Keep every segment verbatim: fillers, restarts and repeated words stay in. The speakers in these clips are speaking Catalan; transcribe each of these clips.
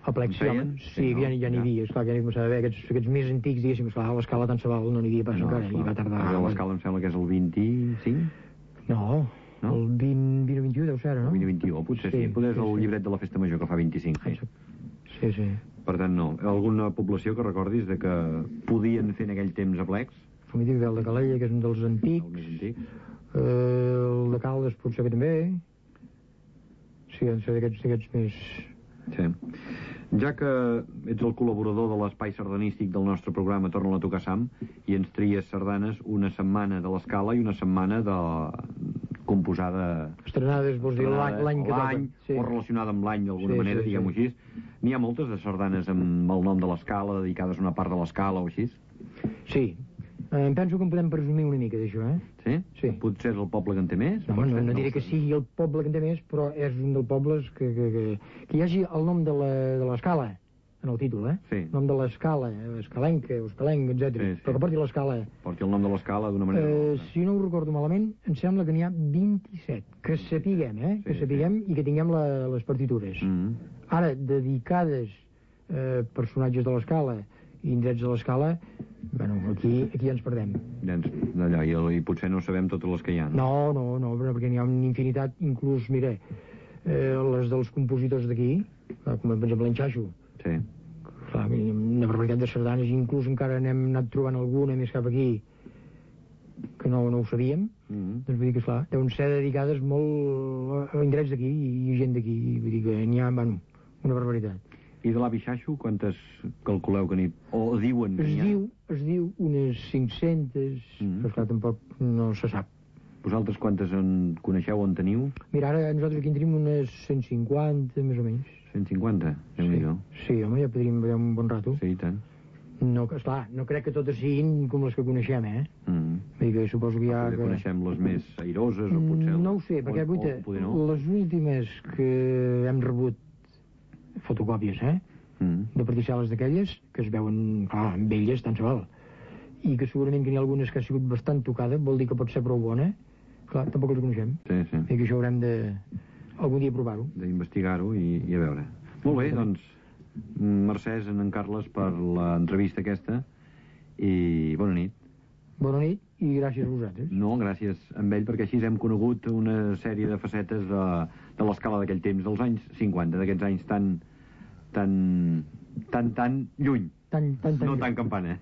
A plecs, sí, home, sí, que ja n'hi havia, esclar, que ja n'hi començava a haver, aquests, aquests més antics, diguéssim, esclar, a l'Escala tant se val, no n'hi havia pas encara, i va tardar... A l'Escala em sembla que és el vint-i-cinc? No, no? el vint, vint o vint i u deu ser, no? El vint o vint i u, potser sí, sí. Potser és el llibret de la Festa Major que fa vint-i-cinc, sí. Sí, sí. Per tant, no. Alguna població que recordis de que podien fer en aquell temps aplecs? El mític del de Calella, que és un dels antics. El més antic. Uh, el de Caldes potser que també. Sí, han de ser d'aquests més... Sí. Ja que ets el col·laborador de l'espai sardanístic del nostre programa Torna-la a tocar Sam i ens tries sardanes una setmana de l'Escala i una setmana de composada... Estrenades, vols dir l'any que toca. Sí. O relacionada amb l'any d'alguna sí, manera, sí, diguem-ho sí. així. N'hi ha moltes de sardanes amb el nom de l'Escala, dedicades a una part de l'Escala o així? Sí. Eh, em penso que en podem presumir una mica d'això, eh? Sí? Sí. Potser és el poble que en té més? No, no, no diré que sigui el poble que en té més, però és un dels pobles que, que, que, que hi hagi el nom de l'Escala en el títol, eh? Sí. El nom de l'Escala, Escalenca, Escalenc, etcètera. Sí, sí. Però que porti l'Escala. Porti el nom de l'Escala d'una manera... Eh, si no ho recordo malament, em sembla que n'hi ha vint-i-set. Que sapiguem, eh? Sí, que sapiguem sí. I que tinguem la, les partitures. Mm -hmm. Ara, dedicades eh, personatges de l'Escala i indrets de l'Escala, bueno, aquí, aquí ja ens perdem. Ja ens, allà, i, i potser no sabem totes les que hi ha. No, no, no, no perquè n'hi ha una infinitat, inclús, mira, eh, les dels compositors d'aquí, com per exemple l'Enxaixo. Sí. Clar, una barbaritat de sardanes, inclús encara n'hem anat trobant alguna més cap aquí que no, no ho sabíem. Mm -hmm. Doncs vull dir que, esclar, deuen ser dedicades molt a indrets d'aquí i gent d'aquí, vull dir que n'hi ha, bueno, una barbaritat. I de l'avi Xaixo, quantes calculeu que n'hi... o diuen que es n'hi ha? Diu, es diu unes cinc-centes, mm. però esclar, tampoc no se sap. Vosaltres quantes en coneixeu o en teniu? Mira, ara nosaltres aquí en tenim unes cent cinquanta, més o menys. cent cinquanta? Sí, sí, home, ja podríem veure un bon rato. Sí, i tant. No, esclar, no crec que totes siguin com les que coneixem, eh? Mm. Vull dir que suposo que hi ha... Que... coneixem les més airoses o potser... No ho sé, perquè, guaita, no? les últimes que hem rebut fotocòpies, eh? Mm. De particel·les d'aquelles, que es veuen, clar, amb elles, tant se val. I que segurament que n'hi ha algunes que ha sigut bastant tocada, vol dir que pot ser prou bona. Clar, tampoc les coneixem. Sí, sí. I que això haurem de... algun dia provar-ho. D'investigar-ho i, i a veure. Molt bé, doncs, mercès a en Carles per l'entrevista aquesta i bona nit. Bona nit i gràcies a vosaltres. No, gràcies a ell, perquè així hem conegut una sèrie de facetes de, de l'Escala d'aquell temps, dels anys cinquanta, d'aquests anys tan tan, tan, tan lluny. Tan, tan, tan no lluny. tan campana.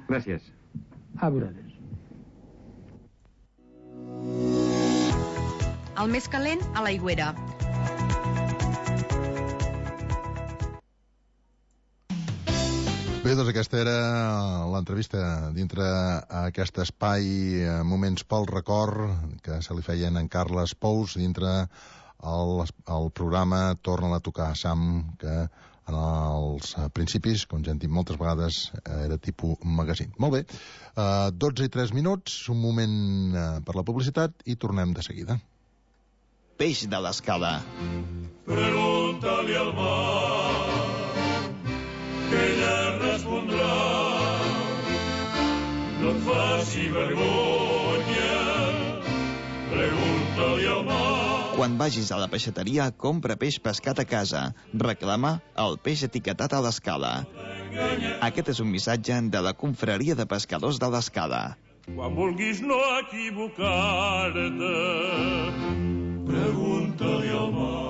Gràcies. A vosaltres. El més calent a l'Aigüera. Bé, doncs aquesta era l'entrevista dintre aquest espai Moments pel Record que se li feien en Carles Pous dintre el, el programa Torna-la a tocar Sam, que en els principis, com ja hem dit moltes vegades, era tipus magazine. Molt bé, uh, dotze i tres minuts, un moment uh, per la publicitat i tornem de seguida. Peix de l'Escala. Pregunta-li al mar que ella respondrà. No et faci vergonya, pregunta-li al mar. Quan vagis a la peixateria, compra peix pescat a casa. Reclama el peix etiquetat a l'Escala. Aquest és un missatge de la Confraria de Pescadors de l'Escala. Quan vulguis no equivocar-te, pregunta-li al mar.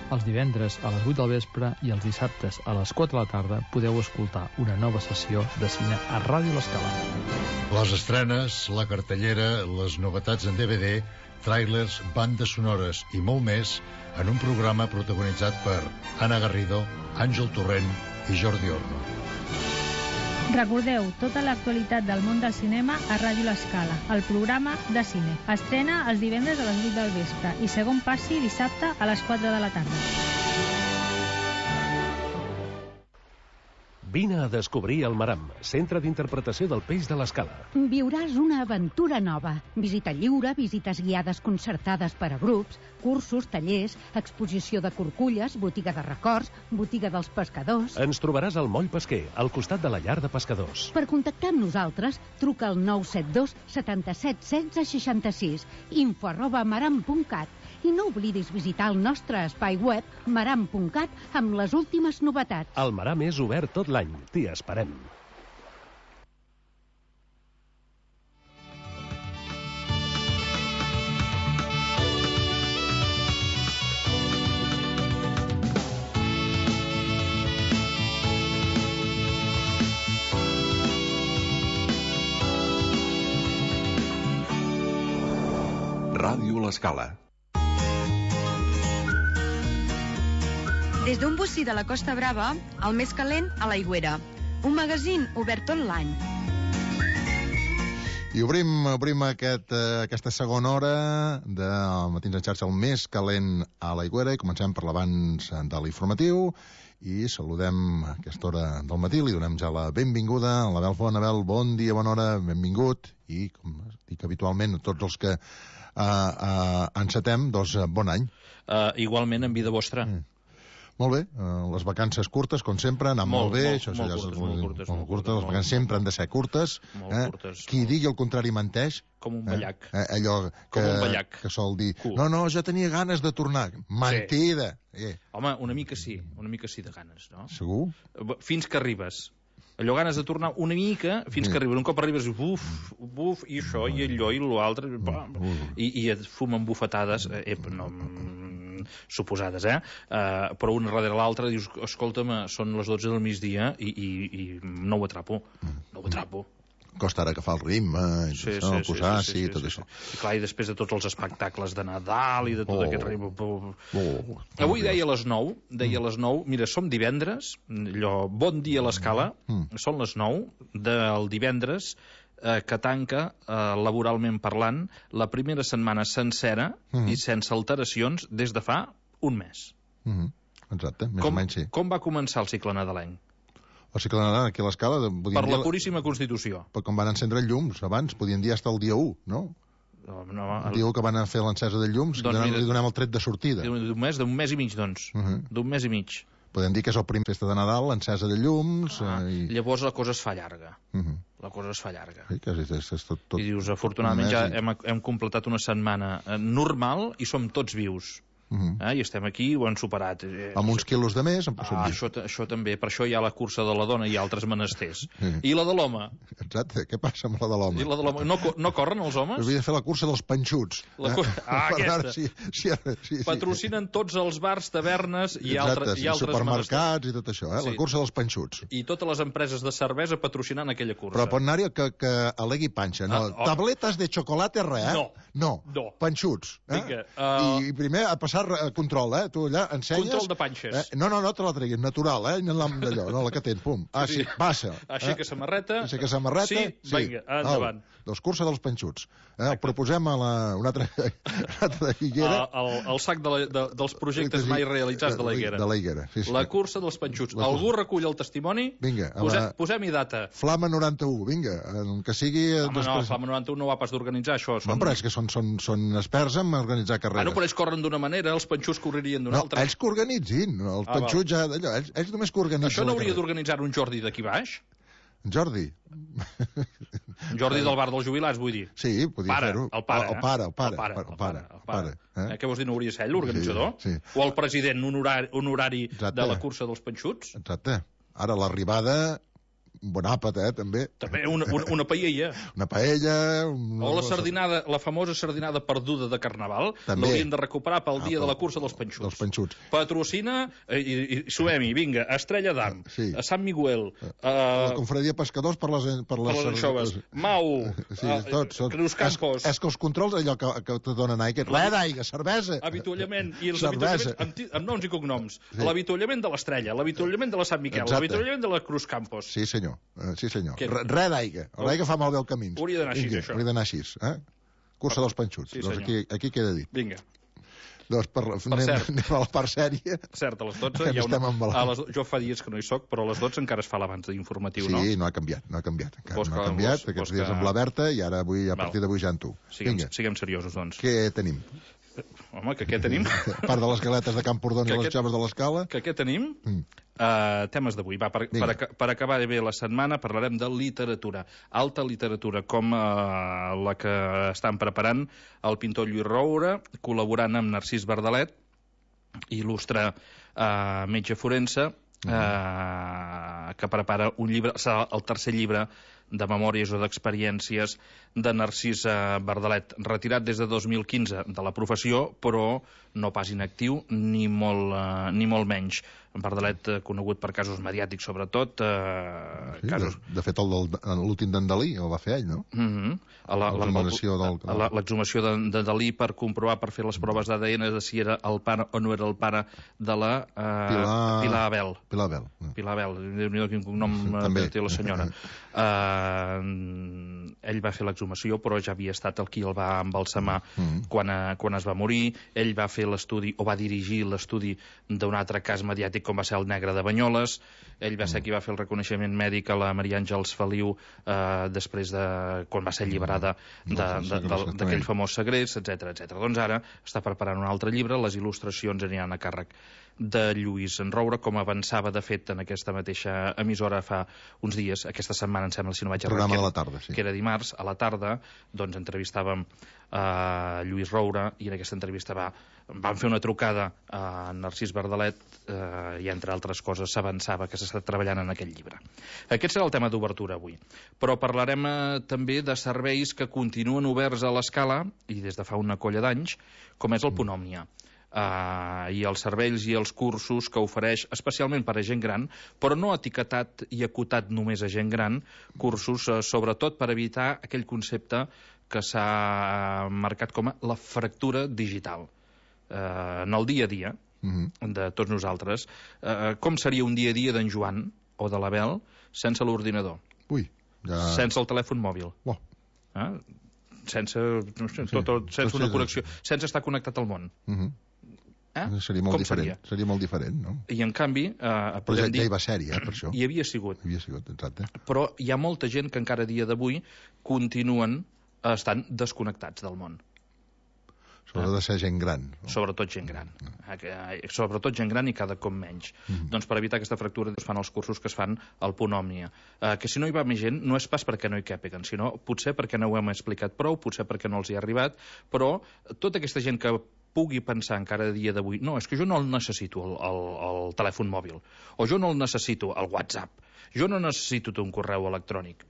Els divendres a les vuit del vespre i els dissabtes a les quatre de la tarda podeu escoltar una nova sessió de cine a Ràdio L'Escala. Les estrenes, la cartellera, les novetats en D V D, tràilers, bandes sonores i molt més en un programa protagonitzat per Anna Garrido, Àngel Torrent i Jordi Orno. Recordeu tota l'actualitat del món del cinema a Ràdio L'Escala, el programa de cine. Estrena els divendres a les vuit del vespre i segon passi dissabte a les quatre de la tarda. Vine a descobrir el Maram, centre d'interpretació del peix de l'Escala. Viuràs una aventura nova. Visita lliure, visites guiades concertades per a grups, cursos, tallers, exposició de corculles, botiga de records, botiga dels pescadors... Ens trobaràs al Moll Pesquer, al costat de la llar de pescadors. Per contactar amb nosaltres, truca al nou set dos setanta-set setze seixanta-sis, info arroba maram punt cat. I no oblidis visitar el nostre espai web maram punt cat amb les últimes novetats. El Maram és obert tot l'any. T'hi esperem. Ràdio L'Escala. Des d'un bocí de la Costa Brava, el més calent a l'Aigüera. Un magazín obert tot l'any. I obrim, obrim aquest, eh, aquesta segona hora de Matins en xarxa, el més calent a l'Aigüera, i comencem per l'abans de l'informatiu i saludem a aquesta hora del matí, li donem ja la benvinguda a l'Abel Font. Abel, bon dia, bona hora, benvingut, i com dic habitualment a tots els que uh, uh, encetem, doncs bon any. Uh, igualment en vida vostra. Mm. Molt bé, uh, les vacances curtes, com sempre, han anat molt, molt bé. Molt, això, molt, això curtes, ja és, molt, curtes, molt curtes. Les vacances sempre han de ser curtes. Molt eh? curtes. Qui digui el contrari menteix. Com un ballac. Eh? Eh, allò que, Com un ballac. que sol dir, Cool. no, no, jo tenia ganes de tornar. Mentida. Sí. Eh. Home, una mica sí, una mica sí de ganes, no? Segur? Fins que arribes. Allò ganes de tornar una mica fins que arribes. Un cop arribes, buf, buf, i això, i allò, i l'altre, i, i et fumen bufetades, eh, no, suposades, eh? Uh, però una darrere l'altra dius, escolta'm, són les dotze del migdia i, i, i no ho atrapo, no ho atrapo. Costa ara agafar el ritme, i sí, això, sí, posar, sí, sí, sí, sí, tot sí, això. Sí. I clar, i després de tots els espectacles de Nadal i de tot oh. aquest ritme... Oh. Oh. Avui deia a les nou, deia a les nou, mira, som divendres, allò, bon dia a l'Escala, mm. són les nou del divendres, eh, que tanca, eh, laboralment parlant, la primera setmana sencera mm. i sense alteracions des de fa un mes. Mm. Exacte, més com, o menys sí. Com va començar el cicle nadalenc? El cicle nadalenc aquí a l'Escala... Per la puríssima Constitució. Per com van encendre llums abans, podien dir fins al dia u, no? No, no, el... el dia u que van fer l'encesa de llums, doncs donem, mira, li donem el tret de sortida. D'un mes, d'un mes i mig, doncs. Uh -huh. D'un mes i mig. Podem dir que és el primer festa de Nadal, l'encesa de llums... Ah, eh, i... Llavors la cosa es fa llarga. Uh -huh. La cosa es fa llarga. Sí, que és, és, és tot, tot... I dius, afortunadament ja i... hem, hem completat una setmana normal i som tots vius. Uh -huh. eh? I estem aquí, ho han superat. Eh, amb uns quilos de més, em ah, això, això també, per això hi ha la cursa de la dona i altres menesters. Uh -huh. I la de l'home? Exacte, què passa amb la de l'home? I la de l'home? No, no corren els homes? Havia de fer la cursa dels panxuts. La cur... eh? Ah, aquesta. Si, si, si, si, Patrocinen sí. tots els bars, tavernes i, Exacte, altre, sí, i altres supermercats menesters. I tot això, eh? Sí. La cursa dels panxuts. I totes les empreses de cervesa patrocinant aquella cursa. Però pot anar-hi que, que alegui panxa. No, ah, oh. Tabletes de xocolate, res, eh? No. No, no. Panxuts. Eh? Vinga, uh... I, I primer a passar a control, eh? Tu allà ensenyes... Control de panxes. Eh? No, no, no te la treguis, natural, eh? D'allò, no la que tens, pum. Ah, sí, passa. Aixeca eh? samarreta. Aixeca samarreta. Sí, sí. Vinga, endavant. No, dels cursos dels panxuts. Eh? El proposem a la, una altra, una altra higuera. El, el, el sac de la, de, dels projectes mai realitzats de la higuera. De la higuera, sí, sí. La cursa dels panxuts. La Algú recull el testimoni? Vinga. Posem, la... Posem-hi data. Flama noranta-u, vinga, que sigui... Home, no, Flama noranta-u no va pas d'organitzar això. Són... No, però és que són, són, són experts en organitzar carreres. Ah, no, però ells corren d'una manera, els panxuts correrien d'una no, altra. ells que organitzin, els ah, panxuts ja d'allò, ells, ells només que organitzen. Això no hauria d'organitzar un Jordi d'aquí baix? Jordi? Jordi del bar dels jubilats, vull dir. Sí, podia fer-ho. El pare, el pare, el pare. El pare, el pare, el pare. Eh? Què vols dir, no hauria de ser ell l'organitzador? Sí, sí. O el president honorari, honorari Exacte. De la cursa dels panxuts? Exacte. Ara l'arribada... un bon àpat, eh, també. També una, una, una paella. Una paella... Una... O la sardinada, la famosa sardinada perduda de Carnaval, l'haurien de recuperar pel dia ah, de la cursa dels panxuts. Dels panxuts. Patrocina, eh, i, i sumem-hi, vinga, Estrella d'Am, sí. A Sant Miguel... Eh, la Confraria Pescadors per les... Per les, per les anxoves. Mau, sí, uh, tots, tots. Creus Campos... És, és que els controls, allò que, que te donen aigua, res d'aigua, cervesa... Avituallament, i els avituallaments amb, amb noms i cognoms. Sí. L'avituallament de l'Estrella, l'avituallament de la Sant Miquel, l'avituallament de la Cruz Campos. Sí, senyor, uh, sí, senyor. Res d'aigua. L'aigua fa malbé el camí. Hauria d'anar així, això. Hauria d'anar així, eh? Cursa dels panxuts. Sí, doncs aquí, aquí queda dit. Vinga. Doncs per, Per anem, cert. anem a la part sèria. Cert, a les dotze Que hi ha estem una... embalant. A les... Jo fa dies que no hi soc, però a les dotze encara es fa l'abans d'informatiu, Sí, no? no ha canviat, no ha canviat. Encara Vols no ha que- canviat, vols- aquests vols dies que- amb la Berta i ara avui, a Val. partir d'avui ja amb tu. Siguem, Vinga, siguem seriosos, doncs. què tenim? Home, que què tenim? A part de les galetes de Camprodon i Que les aquest- joves de l'Escala. Que què tenim? Mm. Uh, temes d'avui. Va, per, Vinga. per, aca- per acabar bé la setmana parlarem de literatura. Alta literatura, com uh, la que estan preparant el pintor Lluís Roura, col·laborant amb Narcís Verdalet, il·lustre uh, metge forense, uh, que prepara un llibre, serà el tercer llibre de memòries o d'experiències de Narcís Verdalet, retirat des de dos mil quinze de la professió, però no pas inactiu, ni molt, uh, ni molt menys. Verdalet, eh, conegut per casos mediàtics, sobretot. Eh, Sí, casos... de, de fet, el del- l'últim d'en Dalí el va fer ell, no? Mm -hmm. a la, L'exhumació del- a la- l'exhumació de, de Dalí per comprovar, per fer les proves d'A D N de si era el pare o no era el pare de la eh, Pilar... Pilar Abel. Pilar Abel. Pilar Abel, Déu-n'hi-do quin cognom eh, També. que té la senyora. Uh, ell va fer l'exhumació, però ja havia estat el qui el va embalsamar Mm. quan, uh, quan es va morir. Ell va fer l'estudi, o va dirigir l'estudi d'un altre cas mediàtic com va ser el negre de Banyoles. Ell va ser qui va fer el reconeixement mèdic a la Maria Àngels Feliu uh, després de... quan va ser alliberada de- de- de- d'aquell famós segrest, etcètera, etcètera. Doncs ara està preparant un altre llibre, les il·lustracions aniran a càrrec de Lluís Roura, com avançava de fet en aquesta mateixa emissora fa uns dies, aquesta setmana em sembla, si no vaig errar, Programa que de era- la tarda, sí. que era dimarts, a la tarda, doncs entrevistàvem a Lluís Roura i en aquesta entrevista va, van fer una trucada a Narcís Verdalet eh, i entre altres coses s'avançava que s'està treballant en aquest llibre. Aquest serà el tema d'obertura avui, però parlarem eh, també de serveis que continuen oberts a l'Escala i des de fa una colla d'anys, com és el Punt Òmnia. Uh, i els serveis i els cursos que ofereix especialment per a gent gran, però no etiquetat i acotat només a gent gran, cursos uh, sobretot per evitar aquell concepte que s'ha marcat com a la fractura digital. Uh, en el dia a dia Mm-hmm. de tots nosaltres, uh, com seria un dia a dia d'en Joan o de l'Abel sense l'ordinador? Ui, ja... Sense el telèfon mòbil? Oh. Uh, sense, no sé, tot, tot, sense una connexió, sense estar connectat al món. Mm-hmm. Eh? Seria molt Com diferent. seria? Seria molt diferent, no? I en canvi, eh, Però ja, podem dir... ja hi va ser-hi, eh, per això. Hi havia sigut. Hi havia sigut, exacte. Però hi ha molta gent que encara a dia d'avui continuen eh, estant desconnectats del món. Sobretot de ser gent gran. No? Sobretot gent gran. Eh, que, eh, sobretot gent gran i cada cop menys. Mhm. Doncs per evitar aquesta fractura es fan els cursos que es fan al Punt Òmnia. Eh, que si no hi va més gent, no és pas perquè no hi càpiguen, sinó potser perquè no ho hem explicat prou, potser perquè no els hi ha arribat, però tota aquesta gent que pugui pensar encara a dia d'avui, no, és que jo no el necessito el, el, el telèfon mòbil, o jo no el necessito el WhatsApp, jo no necessito un correu electrònic.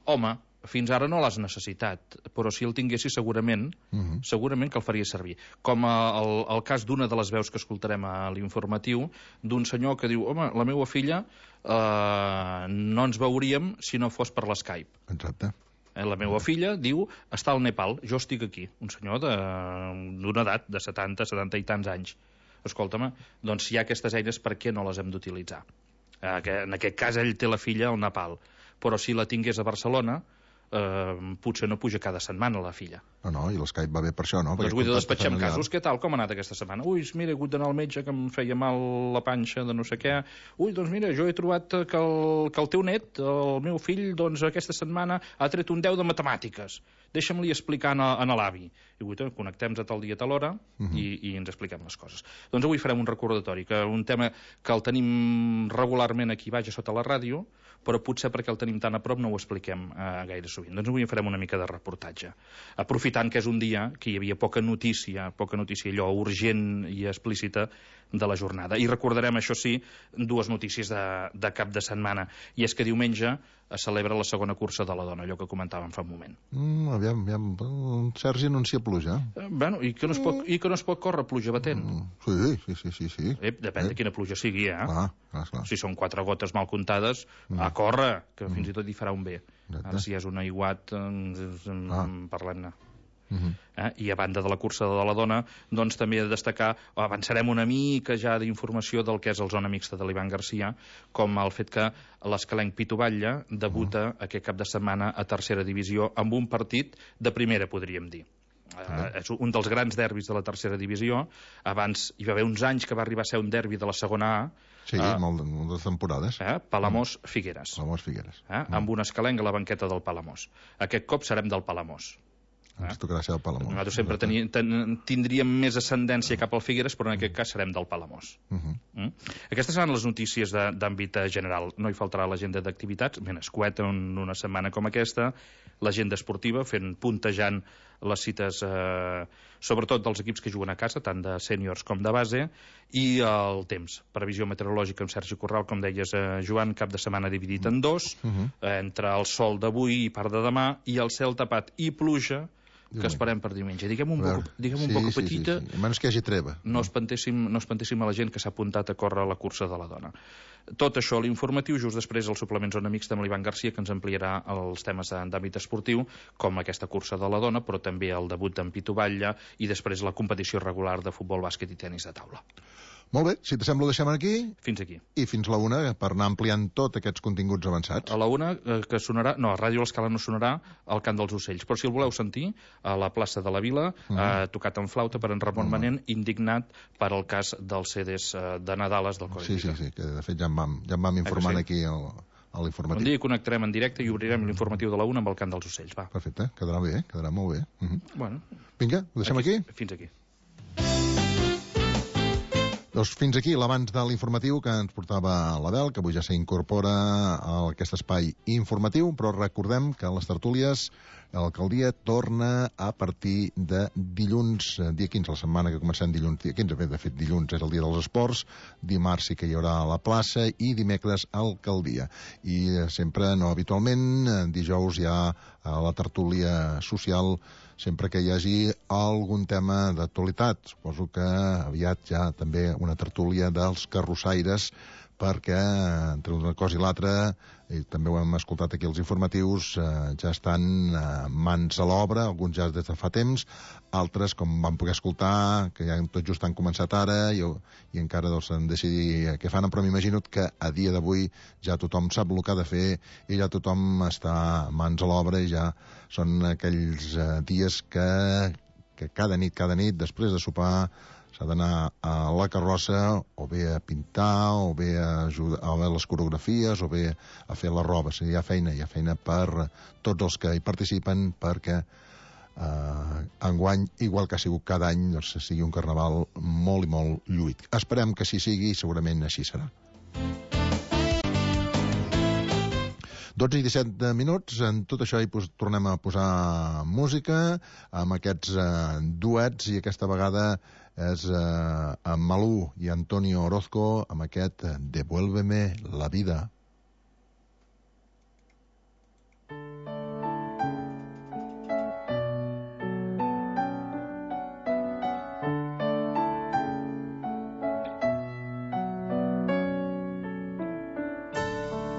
Home, fins ara no l'has necessitat, però si el tinguessis segurament, Mm-hmm. segurament que el faria servir. Com el, el cas d'una de les veus que escoltarem a l'informatiu, d'un senyor que diu, home, la meva filla eh, no ens veuríem si no fos per l'Skype. Exacte. Eh, la meva filla diu, està al Nepal, jo estic aquí. Un senyor d'una edat de setanta, setanta i tants anys. Escolta'm, doncs si hi ha aquestes eines, per què no les hem d'utilitzar? Eh, que en aquest cas ell té la filla al Nepal, però si la tingués a Barcelona, eh, potser no puja cada setmana la filla. No, no, i l'Skype va bé per això, no? Doncs Perquè vull dir, contacte despatxem familiar. casos. Què tal? Com ha anat aquesta setmana? Ui, mira, he hagut d'anar al metge que em feia mal la panxa de no sé què. Ui, doncs mira, jo he trobat que el, que el teu net, el meu fill, doncs aquesta setmana ha tret un deu de matemàtiques. Deixa'm-li explicar a, a l'avi. I vull dir, connectem a tal dia, a tal hora, Mhm. i, i ens expliquem les coses. Doncs avui farem un recordatori, que un tema que el tenim regularment aquí baix a sota la ràdio, però potser perquè el tenim tan a prop no ho expliquem eh, gaire sovint. Doncs avui en farem una mica de reportatge. Aprofitant que és un dia que hi havia poca notícia, poca notícia allò urgent i explícita de la jornada. I recordarem, això sí, dues notícies de, de cap de setmana. I és que diumenge es celebra la segona cursa de la dona, allò que comentàvem fa un moment. Mm, aviam, aviam, el Sergi anuncia pluja. Eh, bueno, i que no es pot, i que no es pot córrer pluja batent? Mm, sí, sí, sí, sí, sí. Eh, depèn de quina pluja sigui, eh? Ah, clar, clar. Si són quatre gotes mal comptades, Mm. a córrer, que fins i tot hi farà un bé. Exacte. Ara, si és un aiguat, eh, Ah. parlem-ne. Mhm. Eh? I a banda de la cursa de la dona, doncs també he de destacar, avançarem una mica ja d'informació del que és el zona mixta de l'Ivan Garcia, com el fet que l'Escalenc Pitu Batlle debuta Mm. aquest cap de setmana a tercera divisió amb un partit de primera, podríem dir. Uh, és un dels grans derbis de la tercera divisió. Abans hi va haver uns anys que va arribar a ser un derbi de la segona A. Sí, uh, molt, moltes temporades. Eh? Palamós-Figueres. Palamós-Figueres. Eh? Mm. Amb un escalenc a la banqueta del Palamós. Aquest cop serem del Palamós. Ens tocarà ser del Palamós. Nosaltres sempre teni, ten, tindríem més ascendència cap al Figueres, però en aquest cas serem del Palamós. Uh -huh. mm? Aquestes seran les notícies d'àmbit general. No hi faltarà l'agenda d'activitats, ben escueta en una setmana com aquesta, l'agenda esportiva, fent puntejant les cites, eh, sobretot dels equips que juguen a casa, tant de sèniors com de base, i el temps. Previsió meteorològica amb Sergi Corral, com deies, eh, Joan, cap de setmana dividit en dos, uh -huh. eh, entre el sol d'avui i part de demà, i el cel tapat i pluja, que esperem per diumenge. Diguem un poc, diguem un sí, poc sí, petita... Sí, sí. A menys que hi hagi treva. No espantéssim, no espantéssim a la gent que s'ha apuntat a córrer a la cursa de la dona. Tot això a l'informatiu, just després el suplement Zona Mixta amb l'Ivan Garcia, que ens ampliarà els temes d'àmbit esportiu, com aquesta cursa de la dona, però també el debut d'en Pitu Batlle i després la competició regular de futbol, bàsquet i tenis de taula. Molt bé, si t'assembla ho deixem aquí. Fins aquí. I fins la una, per anar ampliant tots aquests continguts avançats. A la una, eh, que sonarà... No, a Ràdio L'Escala no sonarà el Cant dels Ocells, però si el voleu sentir, a la plaça de la Vila, uh -huh. eh, tocat en flauta per en Ramon uh -huh. Manent, indignat per el cas dels C Ds eh, de Nadales del Codi Sí, sí, sí, que de fet ja en vam, ja en vam informant eh, sí? aquí al, a l'informatiu. Un dia connectarem en directe i obrirem l'informatiu de la una amb el Cant dels Ocells, va. Perfecte, quedarà bé, quedarà molt bé. Uh -huh. Bueno. Vinga, ho deixem aquí? aquí? Fins aquí. Doncs fins aquí l'abans de l'informatiu que ens portava l'Abel, que avui ja s'incorpora a aquest espai informatiu, però recordem que les tertúlies l'alcaldia torna a partir de dilluns, dia quinze, la setmana que comencem dilluns, dia quinze, de fet dilluns és el dia dels esports, dimarts sí que hi haurà a la plaça i dimecres alcaldia. I sempre, no habitualment, dijous hi ha la tertúlia social sempre que hi hagi algun tema d'actualitat. Suposo que aviat ja també una tertúlia dels carrossaires, perquè entre una cosa i l'altra, i també ho hem escoltat aquí als informatius, eh, ja estan eh, mans a l'obra, alguns ja des de fa temps, altres, com vam poder escoltar, que ja tot just han començat ara i, i encara doncs, han de decidir què fan, però m'imagino que a dia d'avui ja tothom sap el que ha de fer i ja tothom està mans a l'obra i ja són aquells eh, dies que, que cada nit, cada nit, després de sopar, s'ha d'anar a la carrossa o bé a pintar, o bé a, ajudar, a veure les coreografies, o bé a fer la roba. O sigui, hi ha feina, hi ha feina per tots els que hi participen perquè eh, enguany, igual que ha sigut cada any, doncs, sigui un carnaval molt i molt lluït. Esperem que així sigui i segurament així serà. dotze i disset minuts, en tot això hi pos, tornem a posar música amb aquests eh, duets i aquesta vegada és eh, amb Malú i Antonio Orozco amb aquest Devuélveme la vida.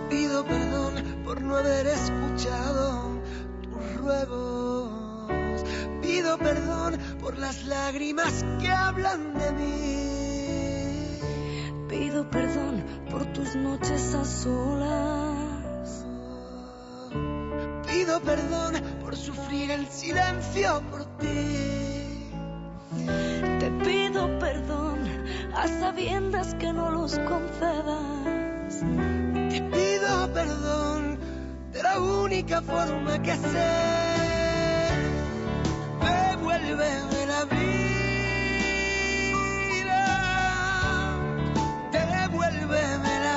Pido perdón por no haber escuchado tus ruegos. Pido perdón por las lágrimas que hablan de mí. Pido perdón por tus noches a solas. Pido perdón por sufrir el silencio por ti. Te pido perdón a sabiendas que no los concedas. Te pido perdón de la única forma que sé. Devuélveme la vida, devuélveme la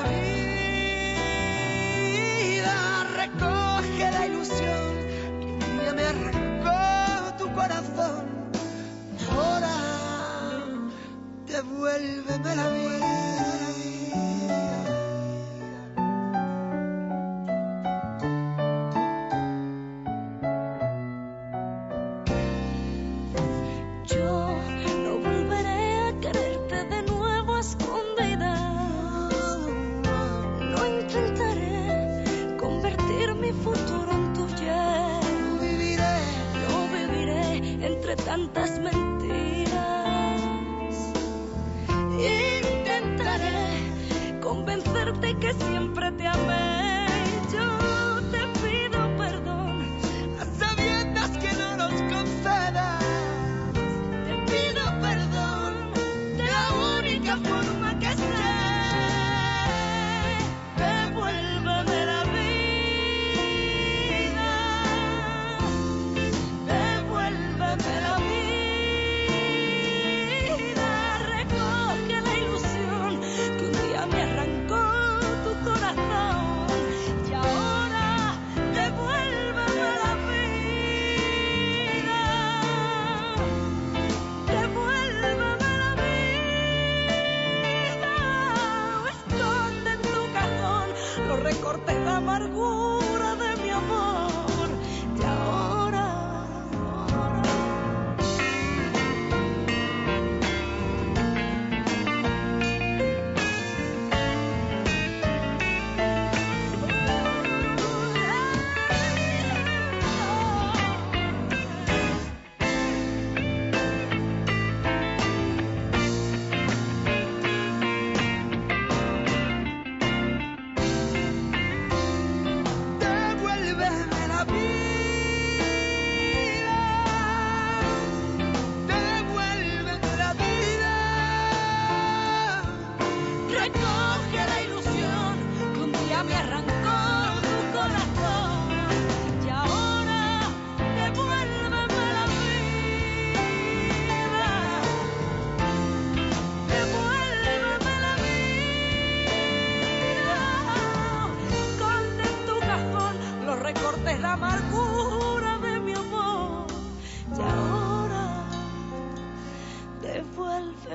vida, recoge la ilusión que un día me arrancó tu corazón. Ahora devuélveme la vida. Tantas mentiras, intentaré convencerte que siempre te amé. Yo te pido perdón a sabiendas que no nos concedas.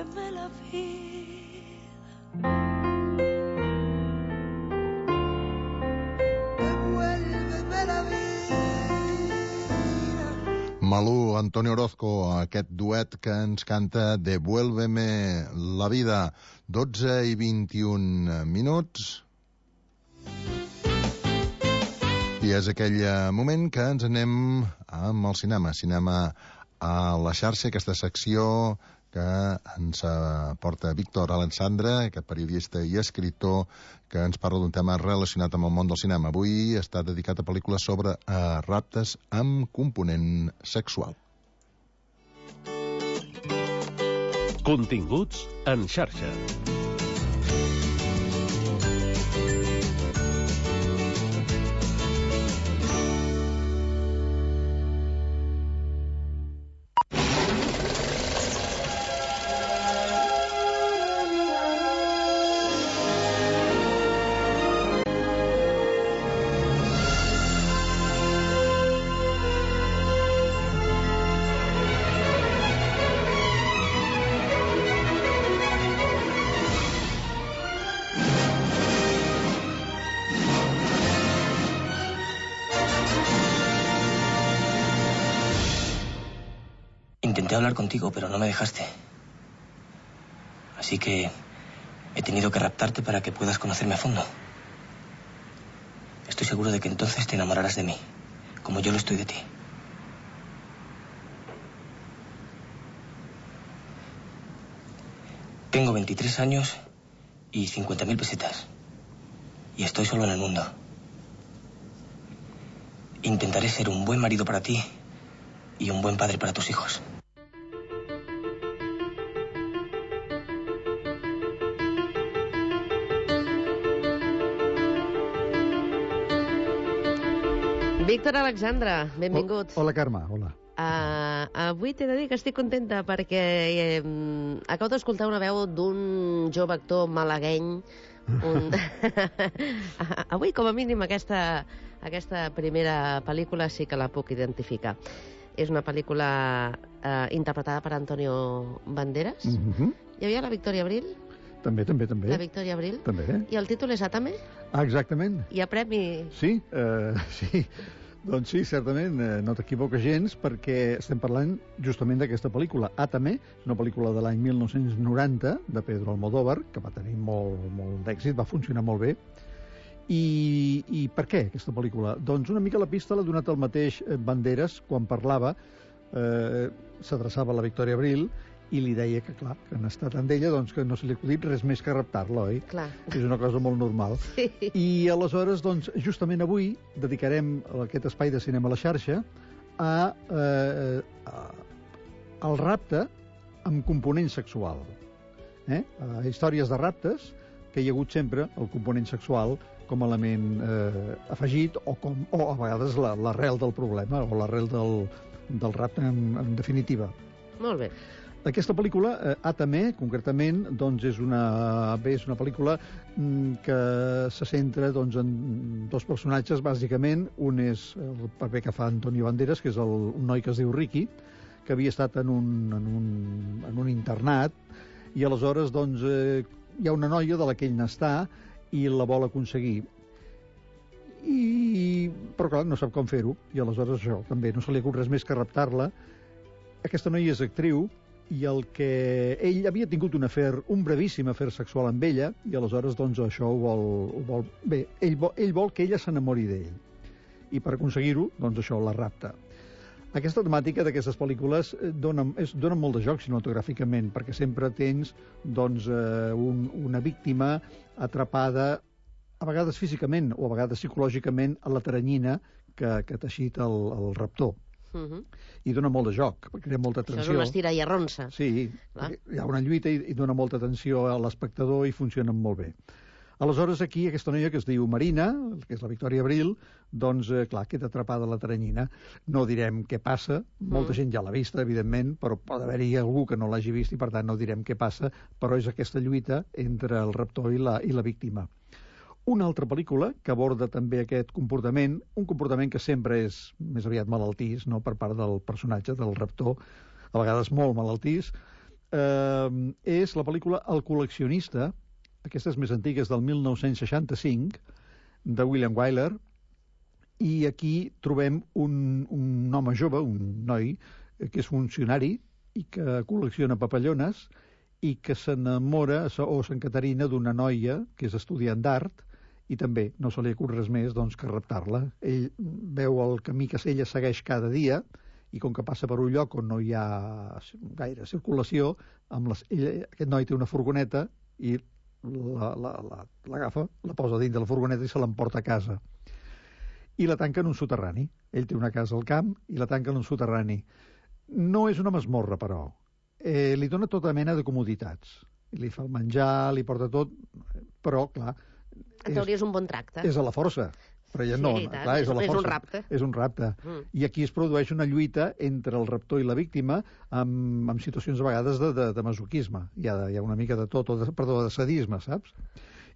Devuélveme la vida. Devuélveme la vida. Malú, Antonio Orozco, aquest duet que ens canta Devuélveme la vida. dotze i vint-i-un minuts. I és aquell moment que ens anem amb el cinema. Cinema a la xarxa, aquesta secció que ens porta Víctor Alexandre, aquest periodista i escriptor que ens parla d'un tema relacionat amb el món del cinema. Avui està dedicat a pel·lícules sobre eh, raptes amb component sexual. Continguts en xarxa. Intenté hablar contigo, pero no me dejaste. Así que he tenido que raptarte para que puedas conocerme a fondo. Estoy seguro de que entonces te enamorarás de mí, como yo lo estoy de ti. Tengo veintitrés años y cincuenta mil pesetas. Y estoy solo en el mundo. Intentaré ser un buen marido para ti y un buen padre para tus hijos. Víctor Alexandre, benvingut. Hola, Carme, hola. Uh, avui t'he de dir que estic contenta perquè eh, acabo d'escoltar una veu d'un jove actor malagueny. Un... avui, com a mínim, aquesta, aquesta primera pel·lícula sí que la puc identificar. És una pel·lícula eh, interpretada per Antonio Banderas. Mm-hmm. Hi havia la Victòria Abril. També, també, també. La Victòria Abril. També. I el títol és Átame? Ah, exactament. Hi ha premi? Sí, eh, sí. Doncs sí, certament, eh, no t'equivoques gens, perquè estem parlant justament d'aquesta pel·lícula, Átame, una pel·lícula de l'any mil nou-cents noranta, de Pedro Almodóvar, que va tenir molt, molt d'èxit, va funcionar molt bé. I, I per què, aquesta pel·lícula? Doncs una mica la pista l'ha donat el mateix Banderas quan parlava, eh, s'adreçava a la Victòria Abril, i li deia que, clar, que en estat amb ella, doncs que no se li ha acudit res més que raptar-la, oi? Clar. És una cosa molt normal. Sí. I aleshores, doncs, justament avui dedicarem aquest espai de cinema a la xarxa a, eh, a, al rapte amb component sexual. Eh? A històries de raptes que hi ha hagut sempre el component sexual com a element eh, afegit o, com, o a vegades l'arrel del problema o l'arrel del, del rapte en, en definitiva. Molt bé. Aquesta pel·lícula, eh, Átame, concretament, doncs és una, bé, és una pel·lícula mm, que se centra doncs, en dos personatges, bàsicament. Un és el paper que fa Antonio Banderas, que és el, un noi que es diu Ricky, que havia estat en un, en un, en un internat, i aleshores doncs, eh, hi ha una noia de la que ell n'està i la vol aconseguir. I... Però, clar, no sap com fer-ho, i aleshores això, també, no se li acut res més que raptar-la. Aquesta noia és actriu, i el que ell havia tingut un afer, un brevíssim afer sexual amb ella, i aleshores doncs això ho vol, ho vol bé, ell vol, ell vol que ella s'enamori d'ell, i per aconseguir-ho, doncs això, la rapta. Aquesta temàtica d'aquestes pel·lícules dona, és, dona molt de joc cinematogràficament, perquè sempre tens doncs, eh, un, una víctima atrapada, a vegades físicament o a vegades psicològicament, a la teranyina que, que ha teixit el, el raptor. Uh-huh. I dona molt de joc, perquè crea molta tensió. Això és una estira i arronsa. Sí, hi ha una lluita i, i dona molta tensió a l'espectador i funcionen molt bé. Aleshores, aquí, aquesta noia que es diu Marina, que és la Victòria Abril, doncs, eh, clar, queda atrapada a la teranyina. No direm què passa, molta mm. gent ja l'ha vista, evidentment, però pot haver-hi algú que no l'hagi vist i, per tant, no direm què passa, però és aquesta lluita entre el raptor i la, i la víctima. Una altra pel·lícula que aborda també aquest comportament, un comportament que sempre és més aviat malaltís, no?, per part del personatge, del raptor, a vegades molt malaltís, eh, és la pel·lícula El col·leccionista, aquesta és més antiga, és del mil nou-cents seixanta-cinc, de William Wyler, i aquí trobem un, un home jove, un noi, que és funcionari i que col·lecciona papallones i que s'enamora o s'encaterina d'una noia que és estudiant d'art i també no se li acut res més doncs, que raptar-la. Ell veu el camí que ella segueix cada dia i com que passa per un lloc on no hi ha gaire circulació, amb les, ell, aquest noi té una furgoneta i l'agafa, la, la, la posa dins de la furgoneta i se l'emporta a casa. I la tanca en un soterrani. Ell té una casa al camp i la tanca en un soterrani. No és una masmorra, però. Eh, li dona tota mena de comoditats. Li fa el menjar, li porta tot, però, clar... En teoria és un bon tracte. És a la força. Però ella Sí, no, i tant. clar, és a la És un força. rapte. És un rapte. Mm. I aquí es produeix una lluita entre el raptor i la víctima amb, amb situacions a vegades de, de, de masoquisme. Hi ha, hi ha una mica de tot, o de, perdó, de sadisme, saps?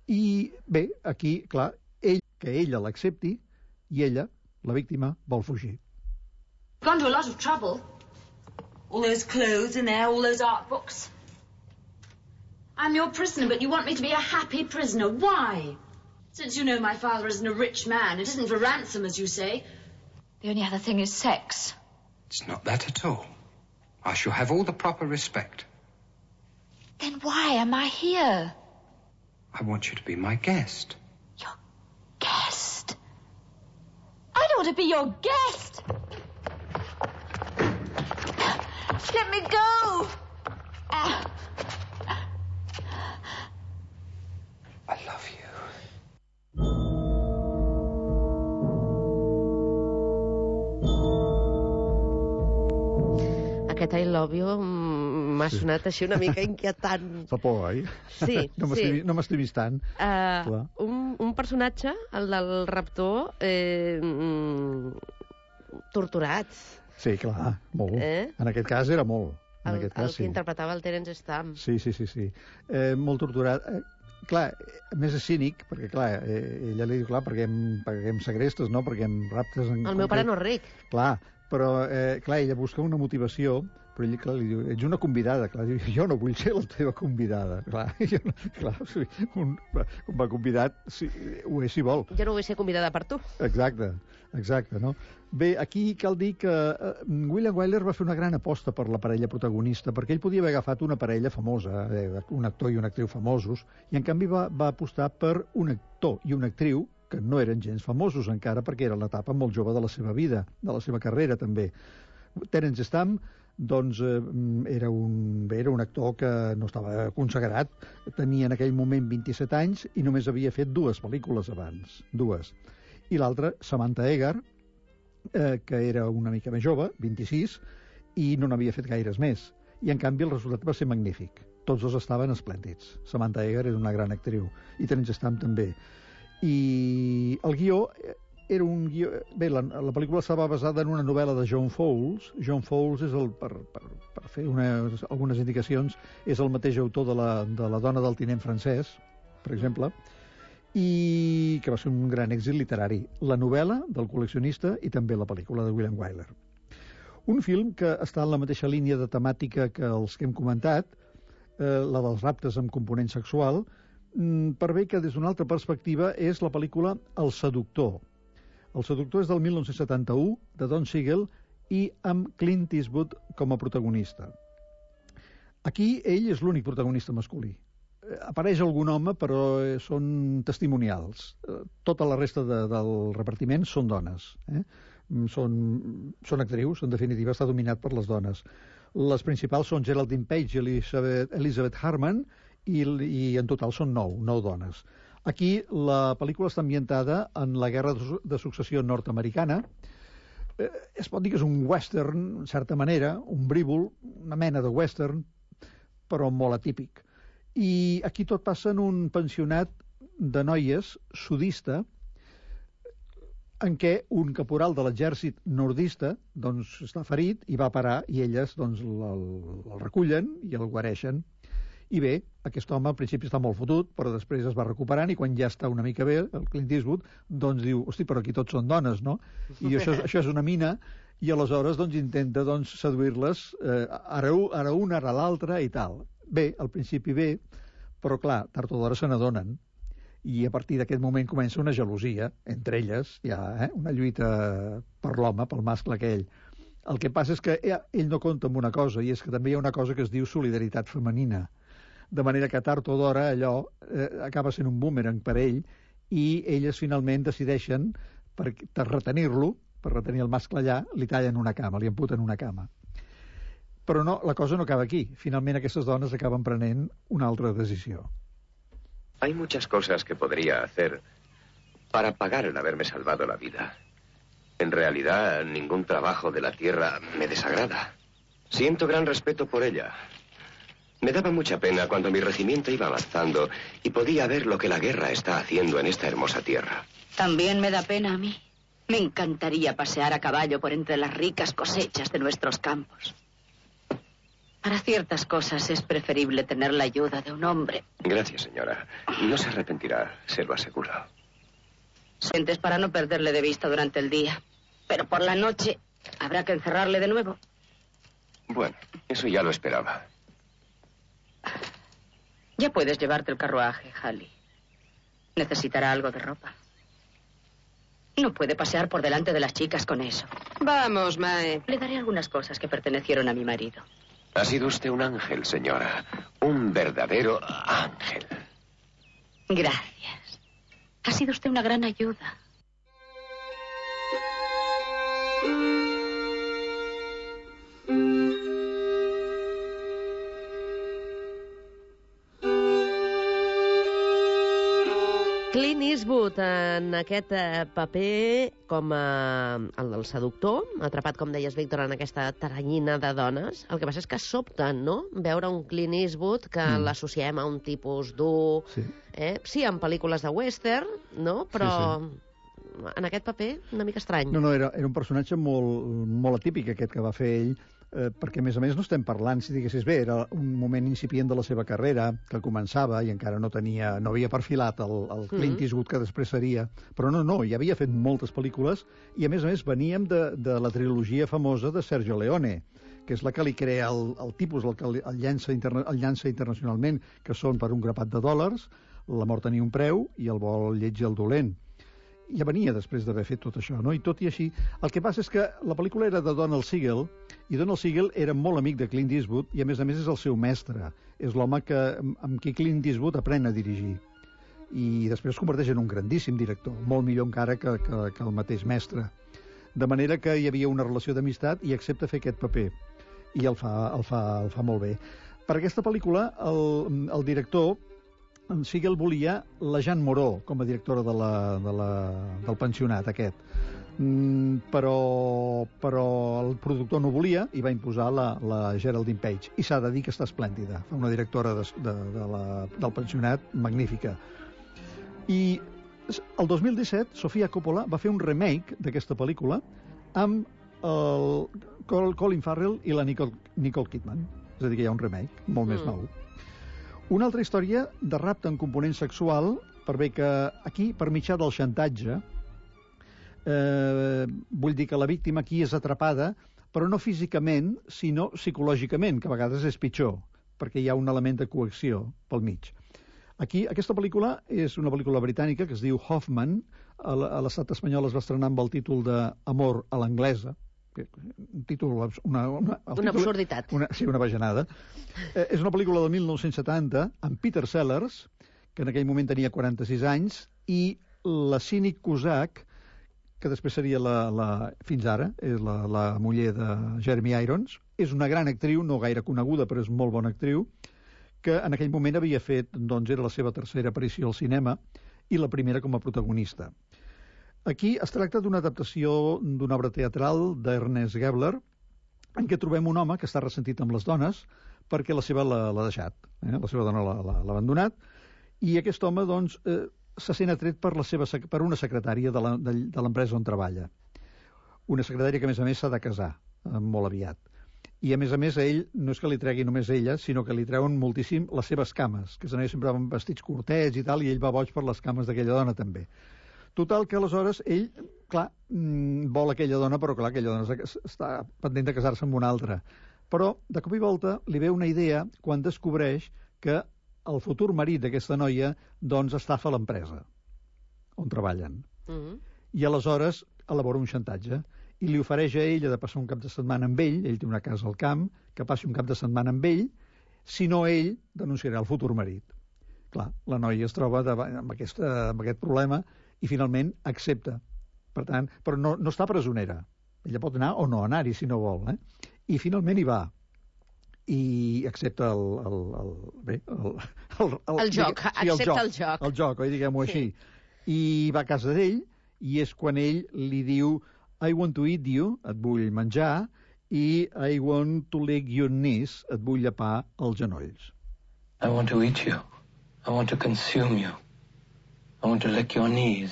I bé, aquí, clar, ell, que ella l'accepti, i ella, la víctima, vol fugir. Gone to a lot of trouble. All those clothes in there, all those art books. I'm your prisoner, but you want me to be a happy prisoner. Why? Since you know my father isn't a rich man, it isn't for ransom, as you say. The only other thing is sex. It's not that at all. I shall have all the proper respect. Then why am I here? I want you to be my guest. Guest? I don't want to be your guest! Let me go! Ah. I love you. Aquest I love you m'ha Sí. sonat així una mica inquietant. Fa por, oi? Sí, no sí. No m'estimis tant. Uh, un, un personatge, el del raptor, eh, mm, torturat. Sí, clar, molt. Eh? En aquest cas era molt. En El, aquest el cas, que sí. interpretava el Terence Stamp. Sí, sí, sí, sí. Eh, molt torturat. Eh, clar, a més és cínic, perquè, clar, eh, ella li diu, clar, perquè em, perquè em segrestes, no?, perquè em raptes... En El meu pare no és ric. Clar, però, eh, clar, ella busca una motivació, però ell, clar, li diu, ets una convidada. Clar, diu, jo no vull ser la teva convidada. Clar, jo no, clar sí, un, un va convidat, sí, ho és si vol. Jo no vull ser convidada per tu. Exacte, exacte, no? Bé, aquí cal dir que eh, William Wyler va fer una gran aposta per la parella protagonista, perquè ell podia haver agafat una parella famosa, eh, un actor i una actriu famosos, i en canvi va, va apostar per un actor i una actriu que no eren gens famosos encara, perquè era l'etapa molt jove de la seva vida, de la seva carrera també. Terence Stamp, doncs, eh, era, un, bé, era un actor que no estava consagrat, tenia en aquell moment vint-i-set anys i només havia fet dues pel·lícules abans, dues. I l'altra, Samantha Eggar, eh, que era una mica més jove, vint-i-sis, i no n'havia fet gaires més. I, en canvi, el resultat va ser magnífic. Tots dos estaven esplèndids. Samantha Eggar és una gran actriu, i Terence Stamp també. I el guió era un guió... Bé, la, la pel·lícula estava basada en una novel·la de John Fowles. John Fowles és el, per, per, per fer unes, algunes indicacions, és el mateix autor de la, de la dona del tinent francès, per exemple, i que va ser un gran èxit literari. La novel·la del col·leccionista i també la pel·lícula de William Wyler. Un film que està en la mateixa línia de temàtica que els que hem comentat, eh, la dels raptes amb component sexual, per bé que des d'una altra perspectiva és la pel·lícula El seductor. El seductor és del mil nou-cents setanta-u, de Don Siegel, i amb Clint Eastwood com a protagonista. Aquí ell és l'únic protagonista masculí. Apareix algun home, però són testimonials. Tota la resta de, del repartiment són dones. Eh? Són, són actrius, en definitiva està dominat per les dones. Les principals són Geraldine Page i Elizabeth, Elizabeth Harman, i, i en total són nou, nou dones. Aquí la pel·lícula està ambientada en la Guerra de Successió nord-americana. Eh, es pot dir que és un western, en certa manera, un brívol, una mena de western, però molt atípic. I aquí tot passa en un pensionat de noies sudista, en què un caporal de l'exèrcit nordista doncs, està ferit i va parar, i elles doncs, el, el recullen i el guareixen. I bé, aquest home al principi està molt fotut, però després es va recuperant, i quan ja està una mica bé, el Clint Eastwood, doncs diu, hosti, però aquí tots són dones, no? I això, això és una mina, i aleshores doncs, intenta doncs, seduir-les eh, ara, ara una, ara l'altra i tal. Bé, al principi bé, però clar, tard o d'hora se n'adonen, i a partir d'aquest moment comença una gelosia entre elles, ja, eh? Una lluita per l'home, pel mascle aquell. El que passa és que ell no compta amb una cosa, i és que també hi ha una cosa que es diu solidaritat femenina, de manera que tard o d'hora allò eh, acaba sent un boomerang per ell, i elles finalment decideixen, per, per retenir-lo, per retenir el mascle allà, li tallen una cama, li amputen una cama. Però no, la cosa no acaba aquí. Finalment aquestes dones acaben prenent una altra decisió. Hay muchas cosas que podría hacer para pagar el haberme salvado la vida. En realidad, ningún trabajo de la tierra me desagrada. Siento gran respeto por ella. Me daba mucha pena cuando mi regimiento iba avanzando y podía ver lo que la guerra está haciendo en esta hermosa tierra. También me da pena a mí. Me encantaría pasear a caballo por entre las ricas cosechas de nuestros campos. Para ciertas cosas es preferible tener la ayuda de un hombre. Gracias, señora. No se arrepentirá, se lo aseguro. Sientes para no perderle de vista durante el día. Pero por la noche habrá que encerrarle de nuevo. Bueno, eso ya lo esperaba. Ya puedes llevarte el carruaje, Halley. Necesitará algo de ropa. No puede pasear por delante de las chicas con eso. Vamos, Mae. Le daré algunas cosas que pertenecieron a mi marido. Ha sido usted un ángel, señora. Un verdadero ángel. Gracias. Ha sido usted una gran ayuda. Clint Eastwood en aquest paper com a, el del seductor, atrapat, com deies, Víctor, en aquesta taranyina de dones. El que passa és que sobta, no?, veure un Clint Eastwood que mm. l'associem a un tipus dur... Sí. Eh? Sí, en pel·lícules de western, no?, però... Sí, sí. En aquest paper, una mica estrany. No, no, era, era un personatge molt, molt atípic, aquest que va fer ell, eh, perquè, a més a més, no estem parlant, si diguessis bé, era un moment incipient de la seva carrera, que començava i encara no tenia, no havia perfilat el, el Clint Eastwood que després seria, però no, no, ja havia fet moltes pel·lícules i, a més a més, veníem de, de la trilogia famosa de Sergio Leone, que és la que li crea el, el tipus, el que el llança, interna, el llança internacionalment, que són per un grapat de dòlars, La mort tenia un preu i El bo, el lleig i el dolent. Ja venia després d'haver fet tot això, no? I tot i així, el que passa és que la pel·lícula era de Donald Siegel, i Donald Siegel era molt amic de Clint Eastwood, i a més a més és el seu mestre. És l'home que, amb qui Clint Eastwood aprèn a dirigir. I després es converteix en un grandíssim director, molt millor encara que, que, que el mateix mestre. De manera que hi havia una relació d'amistat i accepta fer aquest paper. I el fa, el fa, el fa molt bé. Per aquesta pel·lícula, el, el director... En Siegel volia la Jeanne Moreau com a directora de la, de la, del pensionat aquest, mm, però, però el productor no volia i va imposar la, la Geraldine Page, i s'ha de dir que està esplèndida, fa una directora de, de, de la, del pensionat magnífica. I el dos mil disset Sofia Coppola va fer un remake d'aquesta pel·lícula amb el Colin Farrell i la Nicole, Nicole Kidman, és a dir, que hi ha un remake molt mm. més nou. Una altra història de rapte en component sexual, per bé que aquí, per mitjà del xantatge, eh, vull dir que la víctima aquí és atrapada, però no físicament, sinó psicològicament, que a vegades és pitjor, perquè hi ha un element de coacció pel mig. Aquí, aquesta pel·lícula és una pel·lícula britànica que es diu Hoffman, a l'estat espanyol es va estrenar amb el títol de Amor a l'anglesa, un títol... Una, una, una títol, absurditat. Una, sí, una bajanada. Eh, és una pel·lícula del mil nou-cents setanta amb Peter Sellers, que en aquell moment tenia quaranta-sis anys, i la Sinéad Cusack, que després seria la, la fins ara, és la, la muller de Jeremy Irons. És una gran actriu, no gaire coneguda, però és molt bona actriu, que en aquell moment havia fet, doncs era la seva tercera aparició al cinema, i la primera com a protagonista. Aquí es tracta d'una adaptació d'una obra teatral d'Ernest Gebler, en què trobem un home que està ressentit amb les dones perquè la seva l'ha deixat, eh? La seva dona l'ha abandonat, i aquest home doncs, eh, se sent atret per, la seva, per una secretària de l'empresa on treballa. Una secretària que, a més a més, s'ha de casar eh, molt aviat. I, a més a més, a ell no és que li tregui només ella, sinó que li treuen moltíssim les seves cames, que s'anava sempre amb vestits curtets i tal, i ell va boig per les cames d'aquella dona també. Total, que aleshores ell, clar, vol aquella dona, però clar, aquella dona està pendent de casar-se amb una altra. Però, de cop i volta, li ve una idea quan descobreix que el futur marit d'aquesta noia, doncs, estafa l'empresa on treballen. Mm-hmm. I aleshores elabora un xantatge i li ofereix a ella de passar un cap de setmana amb ell, ell té una casa al camp, que passi un cap de setmana amb ell, si no ell denunciarà el futur marit. Clar, la noia es troba davant, amb, aquesta, amb aquest problema i finalment accepta. Per tant, però no, no està presonera. Ella pot anar o no anar-hi si no vol. Eh? I finalment hi va. I accepta el... el, el, bé, el, el, el, el joc, digue, sí, accepta el joc. El joc. joc, el joc, oi, diguem-ho sí. Així. I va a casa d'ell, i és quan ell li diu I want to eat you, et vull menjar, i I want to lick your knees, et vull llepar els genolls. I want to eat you. I want to consume you. I want to lick your knees.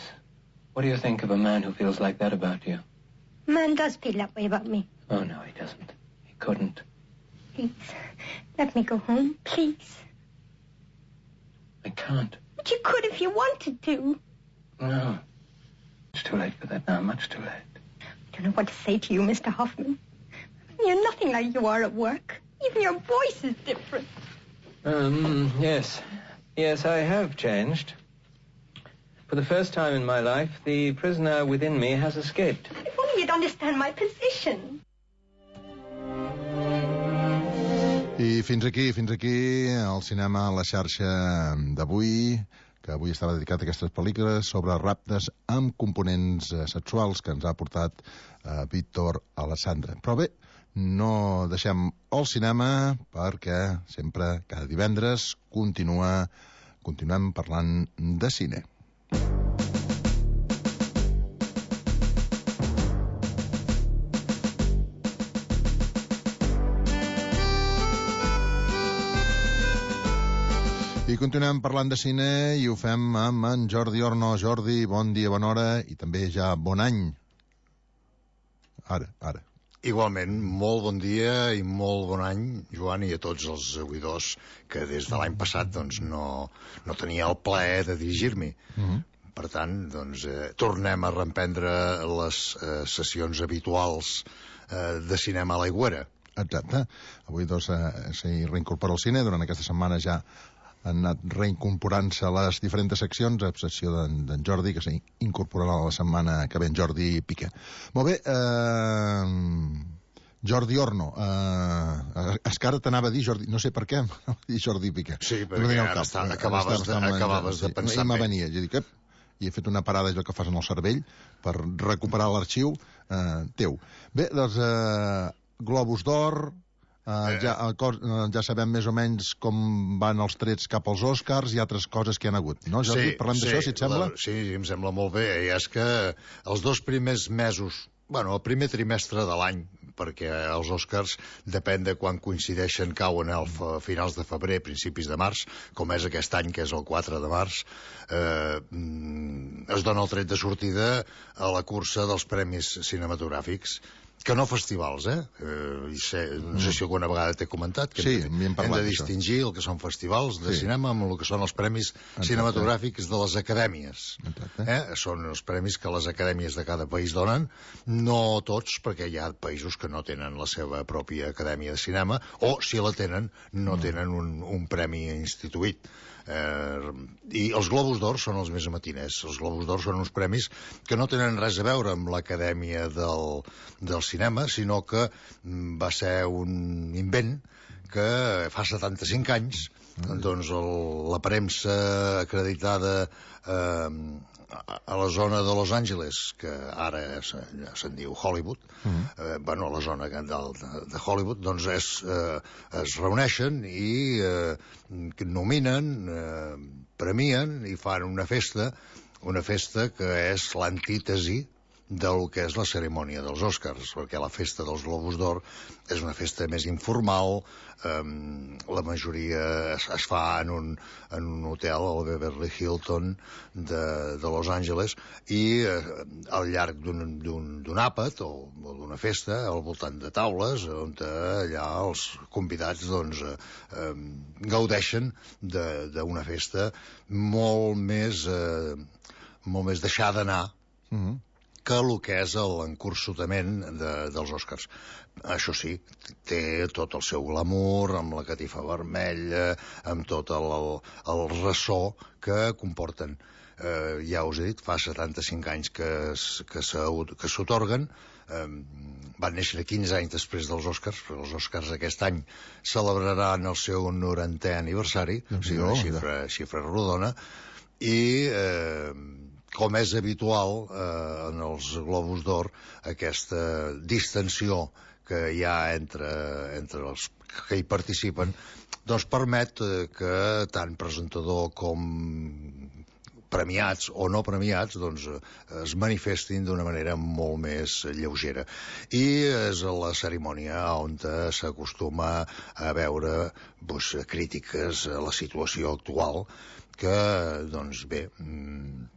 What do you think of a man who feels like that about you? Man does feel that way about me. Oh, no, he doesn't. He couldn't. Please, let me go home, please. I can't. But you could if you wanted to. No. It's too late for that now, much too late. I don't know what to say to you, Mister Hoffman. You're nothing like you are at work. Even your voice is different. Um, yes. Yes, I have changed. For the first time in my life, the prisoner within me has escaped. If only you'd understand my position. I fins aquí, fins aquí, el cinema a la xarxa d'avui, que avui estava dedicat a aquestes pel·lícules sobre raptes amb components sexuals que ens ha portat eh, Víctor Alessandra. Però bé, no deixem el cinema perquè sempre, cada divendres, continua, continuem parlant de cine. I continuem parlant de cine i ho fem amb en Jordi Orno. Jordi, bon dia, bona hora i també ja bon any. Ara, ara. Igualment, molt bon dia i molt bon any, Joan, i a tots els oïdors que des de l'any passat doncs, no, no tenia el plaer de dirigir-m'hi. Mm-hmm. Per tant, doncs, eh, tornem a reemprendre les eh, sessions habituals eh, de cinema a l'Aigüera. Exacte. Avui doncs, eh, s'hi reincorpora al cine. Durant aquesta setmana ja han anat reincorporant-se a les diferents seccions, a excepció d'en Jordi, que s'incorporarà la setmana que ve en Jordi Piqué. Molt bé, eh, Jordi Orno, eh, és que ara t'anava a dir Jordi, no sé per què, dir Jordi Piqué. Sí, perquè no ara està, acabaves, de, acabaves de pensar sí, en venia, jo dic, ep, i he fet una parada, allò que fas en el cervell, per recuperar l'arxiu eh, teu. Bé, doncs, eh, Globus d'Or... Uh, ja, uh, ja sabem més o menys com van els trets cap als Oscars i altres coses que hi ha hagut, no, Jordi? Sí, Parlem sí, d'això, si et sembla? La, sí, em sembla molt bé. I és que els dos primers mesos, bueno, el primer trimestre de l'any, perquè els Oscars, depèn de quan coincideixen, cauen a finals de febrer, principis de març, com és aquest any, que és el quatre de març, eh, es dona el tret de sortida a la cursa dels premis cinematogràfics, que no festivals, eh? eh sé, no sé si alguna vegada t'he comentat que sí, hem, de, hem de distingir el que són festivals de sí. cinema amb el que són els premis Exacte. cinematogràfics de les acadèmies. Eh? Són els premis que les acadèmies de cada país donen, no tots, perquè hi ha països que no tenen la seva pròpia acadèmia de cinema, o si la tenen, no tenen un, un premi instituït. Eh, i els Globus d'Or són els més matiners. Els Globus d'Or són uns premis que no tenen res a veure amb l'acadèmia del, del cinema, sinó que va ser un invent que fa setanta-cinc anys doncs el, la premsa acreditada eh, a la zona de Los Angeles, que ara se'n se diu Hollywood, uh-huh. eh, bueno, a la zona de, de Hollywood, doncs es, eh, es reuneixen i eh, nominen, eh, premien i fan una festa, una festa que és l'antítesi del que és la cerimònia dels Oscars, perquè la festa dels Globus d'Or és una festa més informal, eh, la majoria es, es fa en un, en un hotel, el Beverly Hilton de, de Los Angeles, i eh, al llarg d'un àpat o, o d'una festa, al voltant de taules, on allà els convidats doncs, eh, eh, gaudeixen d'una festa molt més... Eh, molt més deixar d'anar Mhm. que el que és l'encursutament de, dels Oscars. Això sí, té tot el seu glamour, amb la catifa vermella, amb tot el, el, el ressò que comporten. Eh, ja us he dit, fa setanta-cinc anys que, es- que s'au- que s'otorguen, eh, van néixer quinze anys després dels Oscars, però els Oscars aquest any celebraran el seu norantè aniversari, o sigui, una xifra, xifra rodona, i eh, com és habitual eh, en els Globus d'Or, aquesta distensió que hi ha entre, entre els que hi participen, doncs permet eh, que tant presentador com premiats o no premiats doncs, eh, es manifestin d'una manera molt més lleugera. I és a la cerimònia on s'acostuma a veure doncs, crítiques a la situació actual que, doncs bé, mm,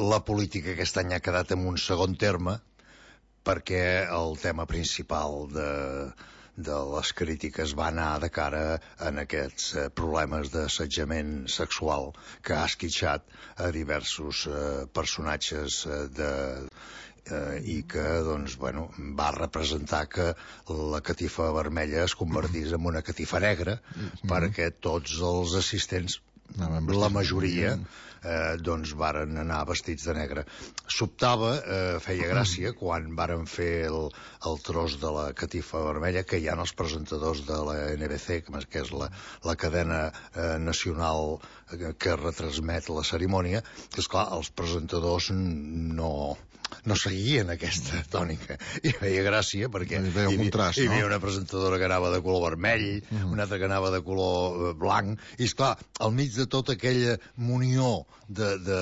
la política aquest any ha quedat en un segon terme perquè el tema principal de, de les crítiques va anar de cara en aquests eh, problemes d'assetjament sexual que ha esquitxat a diversos eh, personatges eh, de, eh, i que doncs, bueno, va representar que la catifa vermella es convertís en una catifa negra perquè tots els assistents, la majoria, eh, doncs varen anar vestits de negre. Sobtava, eh, feia gràcia, quan varen fer el, el tros de la catifa vermella, que hi ha els presentadors de la N B C, que és la, la cadena eh, nacional que, que retransmet la cerimònia, que, esclar, els presentadors no... no seguien aquesta tònica i feia gràcia perquè hi havia, un contrast, hi havia no? una presentadora que anava de color vermell, uh -huh. una altra que anava de color eh, blanc, i esclar, al mig de tota aquella munió de, de,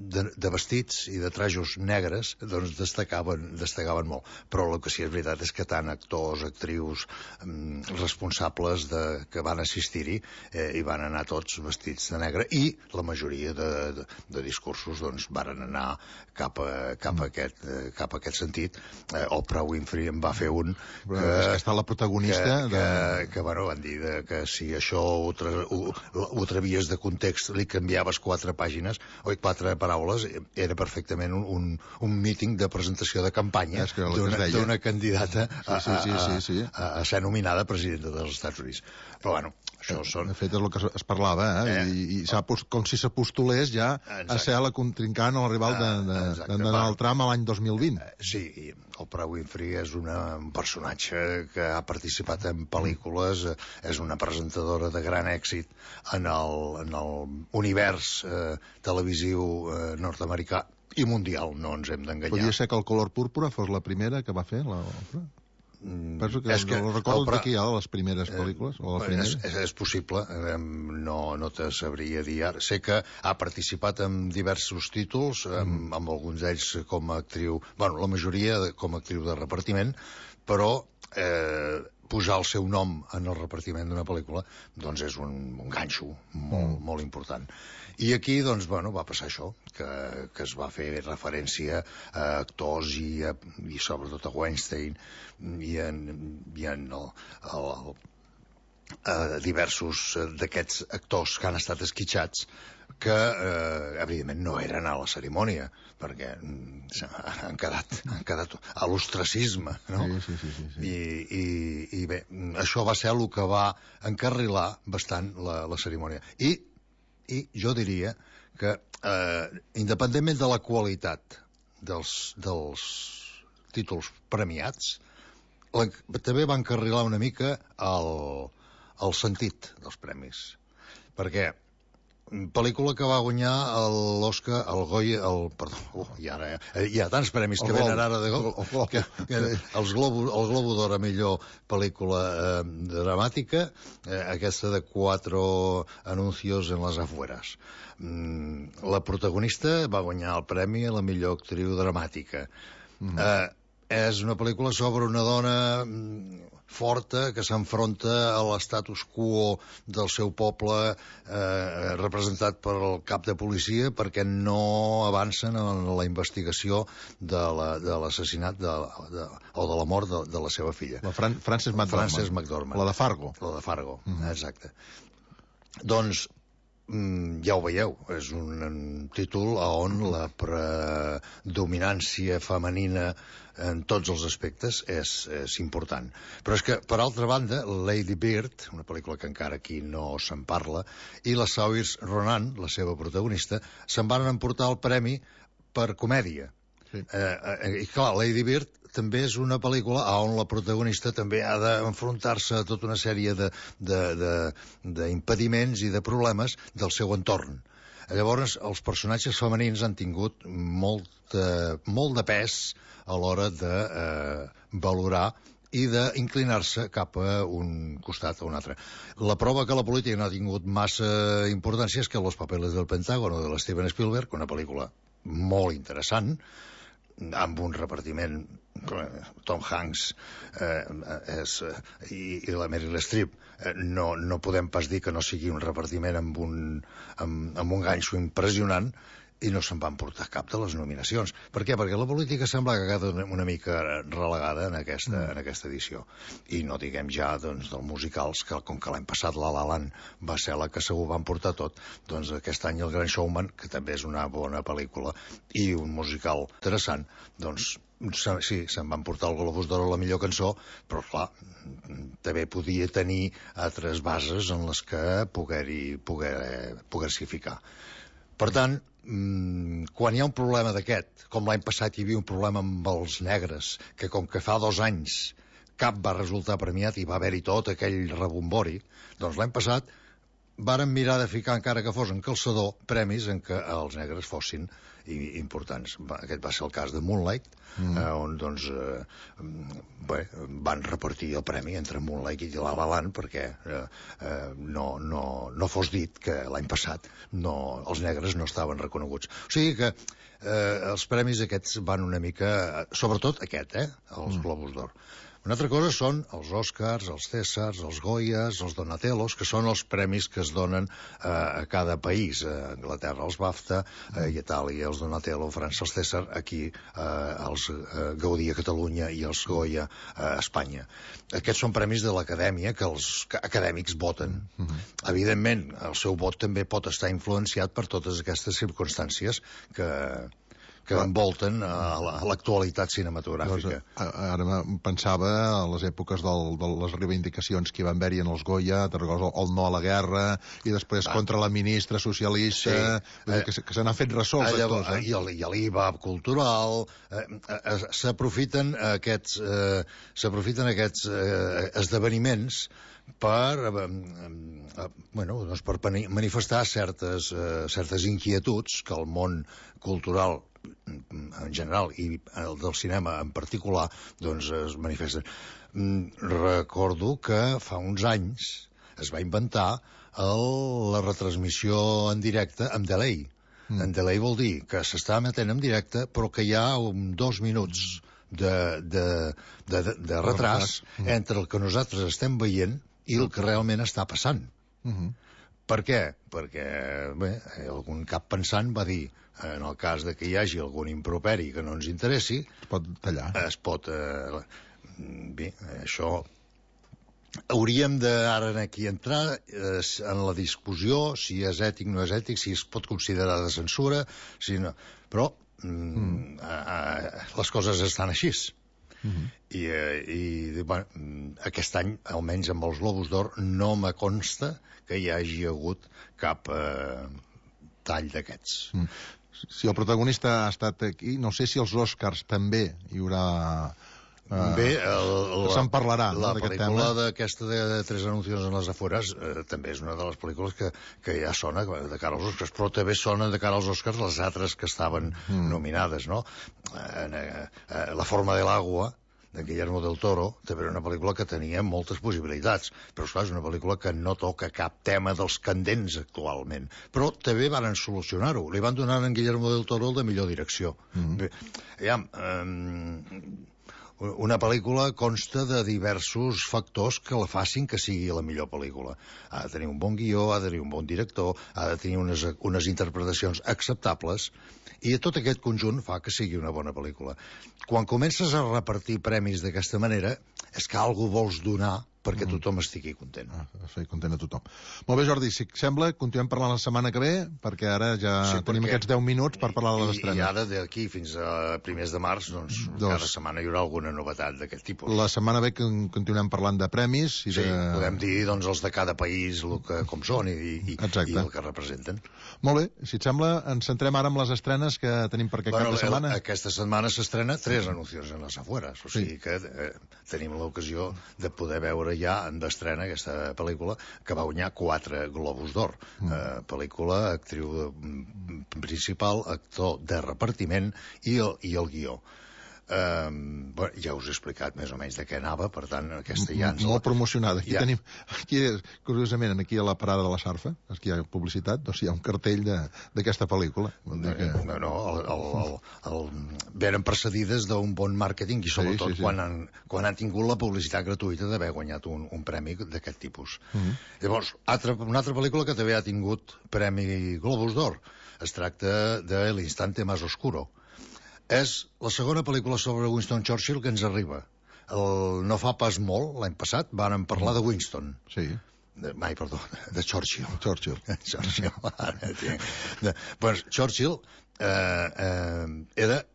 de, de vestits i de trajos negres, doncs destacaven, destacaven molt. Però el que sí és veritat és que tant actors, actrius, mm, responsables de, que van assistir-hi eh, hi van anar tots vestits de negre, i la majoria de, de, de discursos doncs varen anar cap a, cap a, aquest, eh, cap a aquest sentit. Eh, Oprah Winfrey en va fer un que, que està la protagonista que, de... que, que bueno, van dir de, que si això ho, tra ho, ho travies de context, li canviaves quatre pàgines o quatre paraules, era perfectament un, un, un míting de presentació de campanya d'una candidata a, sí, sí, sí, sí. a, a, a ser nominada presidenta dels Estats Units. Però bueno, això són... De fet, és el que es parlava, eh? eh. I, i com si s'apostolés ja Exacte. a ser la contrincant o la rival de, de, de Donald Trump a l'any dos mil vint. Sí, i Oprah Winfrey és una, un personatge que ha participat en pel·lícules, és una presentadora de gran èxit en el, en el univers eh, televisiu eh, nord-americà i mundial, no ens hem d'enganyar. Podria ser que el color púrpura fos la primera que va fer l'Oprah? Mm, Penso que, és que el recordo Oprah, d'aquí, a les primeres pel·lícules, o la primera. És, és, és possible, no, no te sabria dir ara. Sé que ha participat en diversos títols, amb, mm. amb alguns d'ells com a actriu, bueno, la majoria com a actriu de repartiment, però eh, posar el seu nom en el repartiment d'una pel·lícula doncs és un, un ganxo molt, mm. molt important. I aquí, doncs, bueno, va passar això, que, que es va fer referència a actors i, a, i sobretot a Weinstein i en, i en el, el, el, a diversos d'aquests actors que han estat esquitxats que, eh, evidentment, no eren a la cerimònia, perquè han quedat, han quedat a l'ostracisme, no? Sí, sí, sí, sí. I, i, I bé, això va ser el que va encarrilar bastant la, la cerimònia. I I jo diria que, eh, independentment de la qualitat dels, dels títols premiats, la, també va encarrilar una mica el, el sentit dels premis. Perquè pel·lícula que va guanyar l'Oscar, el Goya, el, perdó, uh, i ara eh, hi ha tants premis que venen ara de Globo, que, que els Globo, el Globo d'Or a millor pel·lícula eh, dramàtica, eh, aquesta de Cuatro anuncios en las afueras. Mm, la protagonista va guanyar el premi a la millor actriu dramàtica. Mm. Eh, és una pel·lícula sobre una dona forta que s'enfronta a l'estatus quo del seu poble eh, representat per el cap de policia perquè no avancen en la investigació de l'assassinat la, de, de, o de la mort de, de la seva filla. La Fran Frances McDormand. Frances McDormand. La de Fargo. La de Fargo, mm -hmm. exacte. Doncs mm, ja ho veieu, és un, un títol on la predominància femenina en tots els aspectes és, és important. Però és que, per altra banda, Lady Bird, una pel·lícula que encara aquí no se'n parla, i la Saoirse Ronan, la seva protagonista, se'n van emportar el premi per comèdia. Sí. Eh, eh, I clar, Lady Bird també és una pel·lícula on la protagonista també ha d'enfrontar-se a tota una sèrie d'impediments i de problemes del seu entorn. Llavors, els personatges femenins han tingut molt, eh, molt de pes a l'hora de eh, valorar i d'inclinar-se cap a un costat o un altre. La prova que la política no ha tingut massa importància és que Los papeles del Pentágono de l'Steven Spielberg, una pel·lícula molt interessant, amb un repartiment, Tom Hanks eh, és, i, i la Meryl Streep, eh, no, no podem pas dir que no sigui un repartiment amb un, amb, amb un ganxo impressionant, i no se'n van portar cap de les nominacions. Per què? Perquè la política sembla que ha quedat una mica relegada en aquesta, mm. en aquesta edició. I no diguem ja doncs, dels musicals, que com que l'any passat La La Land va ser la que segur van portar tot, doncs aquest any El Gran Showman, que també és una bona pel·lícula, i un musical interessant, doncs sí, se'n van portar el Globus d'Or a la millor cançó, però clar, també podia tenir altres bases en les que poder-hi poder, poder-s'hi ficar. Per tant, quan hi ha un problema d'aquest, com l'any passat hi havia un problema amb els negres, que com que fa dos anys cap va resultar premiat i va haver-hi tot aquell rebombori, doncs l'any passat varen mirar de ficar, encara que fos en calçador, premis en què els negres fossin importants. Aquest va ser el cas de Moonlight, mm. eh, on doncs, eh, bé, van repartir el premi entre Moonlight i La La Land perquè eh, eh, no, no, no fos dit que l'any passat no, els negres no estaven reconeguts. O sigui que eh, els premis aquests van una mica, sobretot aquest, eh, els mm. Globus d'Or. Una altra cosa són els Oscars, els Cèsars, els Goyas, els Donatellos, que són els premis que es donen eh, a cada país. A Anglaterra els BAFTA, a Itàlia els Donatello, a França els Cèsar, aquí eh, els eh, Gaudí a Catalunya i els Goya a Espanya. Aquests són premis de l'acadèmia que els acadèmics voten. Mm-hmm. Evidentment, el seu vot també pot estar influenciat per totes aquestes circumstàncies que... que envolten a l'actualitat cinematogràfica. Ara pensava a les èpoques del, de les reivindicacions que hi van haver-hi en els Goya, el no a la guerra, i després ah. contra la ministra socialista, sí. que, que se n'han fet ressò els actors. Eh? I l'I V A cultural, eh, eh, s'aprofiten aquests, eh, s'aprofiten aquests eh, esdeveniments per, eh, eh, bueno, doncs per manifestar certes, eh, certes inquietuds que el món cultural en general i el del cinema en particular doncs es manifesten. Recordo que fa uns anys es va inventar el, la retransmissió en directe amb delay. Mm. En delay vol dir que s'està emetent en directe però que hi ha un, dos minuts de, de, de, de, de retras mm. entre el que nosaltres estem veient i el que realment està passant. Mm-hmm. Per què? Perquè bé, algun cap pensant va dir en el cas de que hi hagi algun improperi que no ens interessi, es pot tallar. Es pot... Eh, bé, això... Hauríem de ara aquí entrar eh, en la discussió si és ètic o no és ètic, si es pot considerar de censura, si no... Però mm, mm. A, a, les coses estan així. Mm-hmm. I, eh, i bueno, aquest any, almenys amb els Globus d'Or, no me consta que hi hagi hagut cap eh, tall d'aquests. Mm. Si el protagonista ha estat aquí, no sé si els Oscars també hi haurà... Uh, Bé, el, que se'n parlarà, la, no, la pel·lícula d'aquesta de, de Tres anuncios en les afueres eh, també és una de les pel·lícules que, que ja sona de cara als Oscars, però també sona de cara als Oscars les altres que estaven mm. nominades, no? Eh, eh, La forma de l'agua, de Guillermo del Toro, també era una pel·lícula que tenia moltes possibilitats, però esclar, és una pel·lícula que no toca cap tema dels candents actualment, però també van solucionar-ho, li van donar a en Guillermo del Toro el de millor direcció. Mm. Bé, ja, eh, una pel·lícula consta de diversos factors que la facin que sigui la millor pel·lícula. Ha de tenir un bon guió, ha de tenir un bon director, ha de tenir unes, unes interpretacions acceptables, i tot aquest conjunt fa que sigui una bona pel·lícula. Quan comences a repartir premis d'aquesta manera, és que algú vols donar perquè tothom estigui content. Ah, fer content a tothom. Molt bé, Jordi, si et sembla, continuem parlant la setmana que ve, perquè ara ja Sí, tenim perquè- aquests deu minuts per parlar de les I, estrenes. I ara, d'aquí fins a primers de març, doncs, Dos. cada setmana hi haurà alguna novetat d'aquest tipus. La setmana ve que continuem parlant de premis i Sí, de... podem dir, doncs, els de cada país el que, com són i, i, i el que representen. Molt bé, si et sembla, ens centrem ara en les estrenes que tenim per aquest Bueno, cap de setmana. el- aquesta setmana s'estrena Tres anuncios en las afueras, o sigui que eh, tenim l'ocasió de poder veure ja en d'estrena aquesta pel·lícula que va guanyar quatre Globus d'Or. Mm. Eh, pel·lícula, actriu mm, principal, actor de repartiment i el, i el guió. Eh, bueno, ja us he explicat més o menys de què anava, per tant, aquesta ja ens... Molt promocionada. Aquí Ja. tenim, aquí, curiosament, aquí a la parada de la Sarfa, aquí hi ha publicitat, doncs hi ha un cartell de- d'aquesta pel·lícula. Vol dir que... No, no, el, el, el, el, veren precedides d'un bon màrqueting i sobretot sí, sí. Quan, han, quan han tingut la publicitat gratuïta d'haver guanyat un, un premi d'aquest tipus. Mhm. Llavors, altra, una altra pel·lícula que també ha tingut premi Globus d'Or. Es tracta de L'instante más oscuro. És la segona pel·lícula sobre Winston Churchill que ens arriba. El, no fa pas molt, l'any passat, vàrem parlar de Winston. Sí. De, ai, perdó, de Churchill. Churchill. Churchill. Ara, tinc. de, pues, Churchill eh, eh, era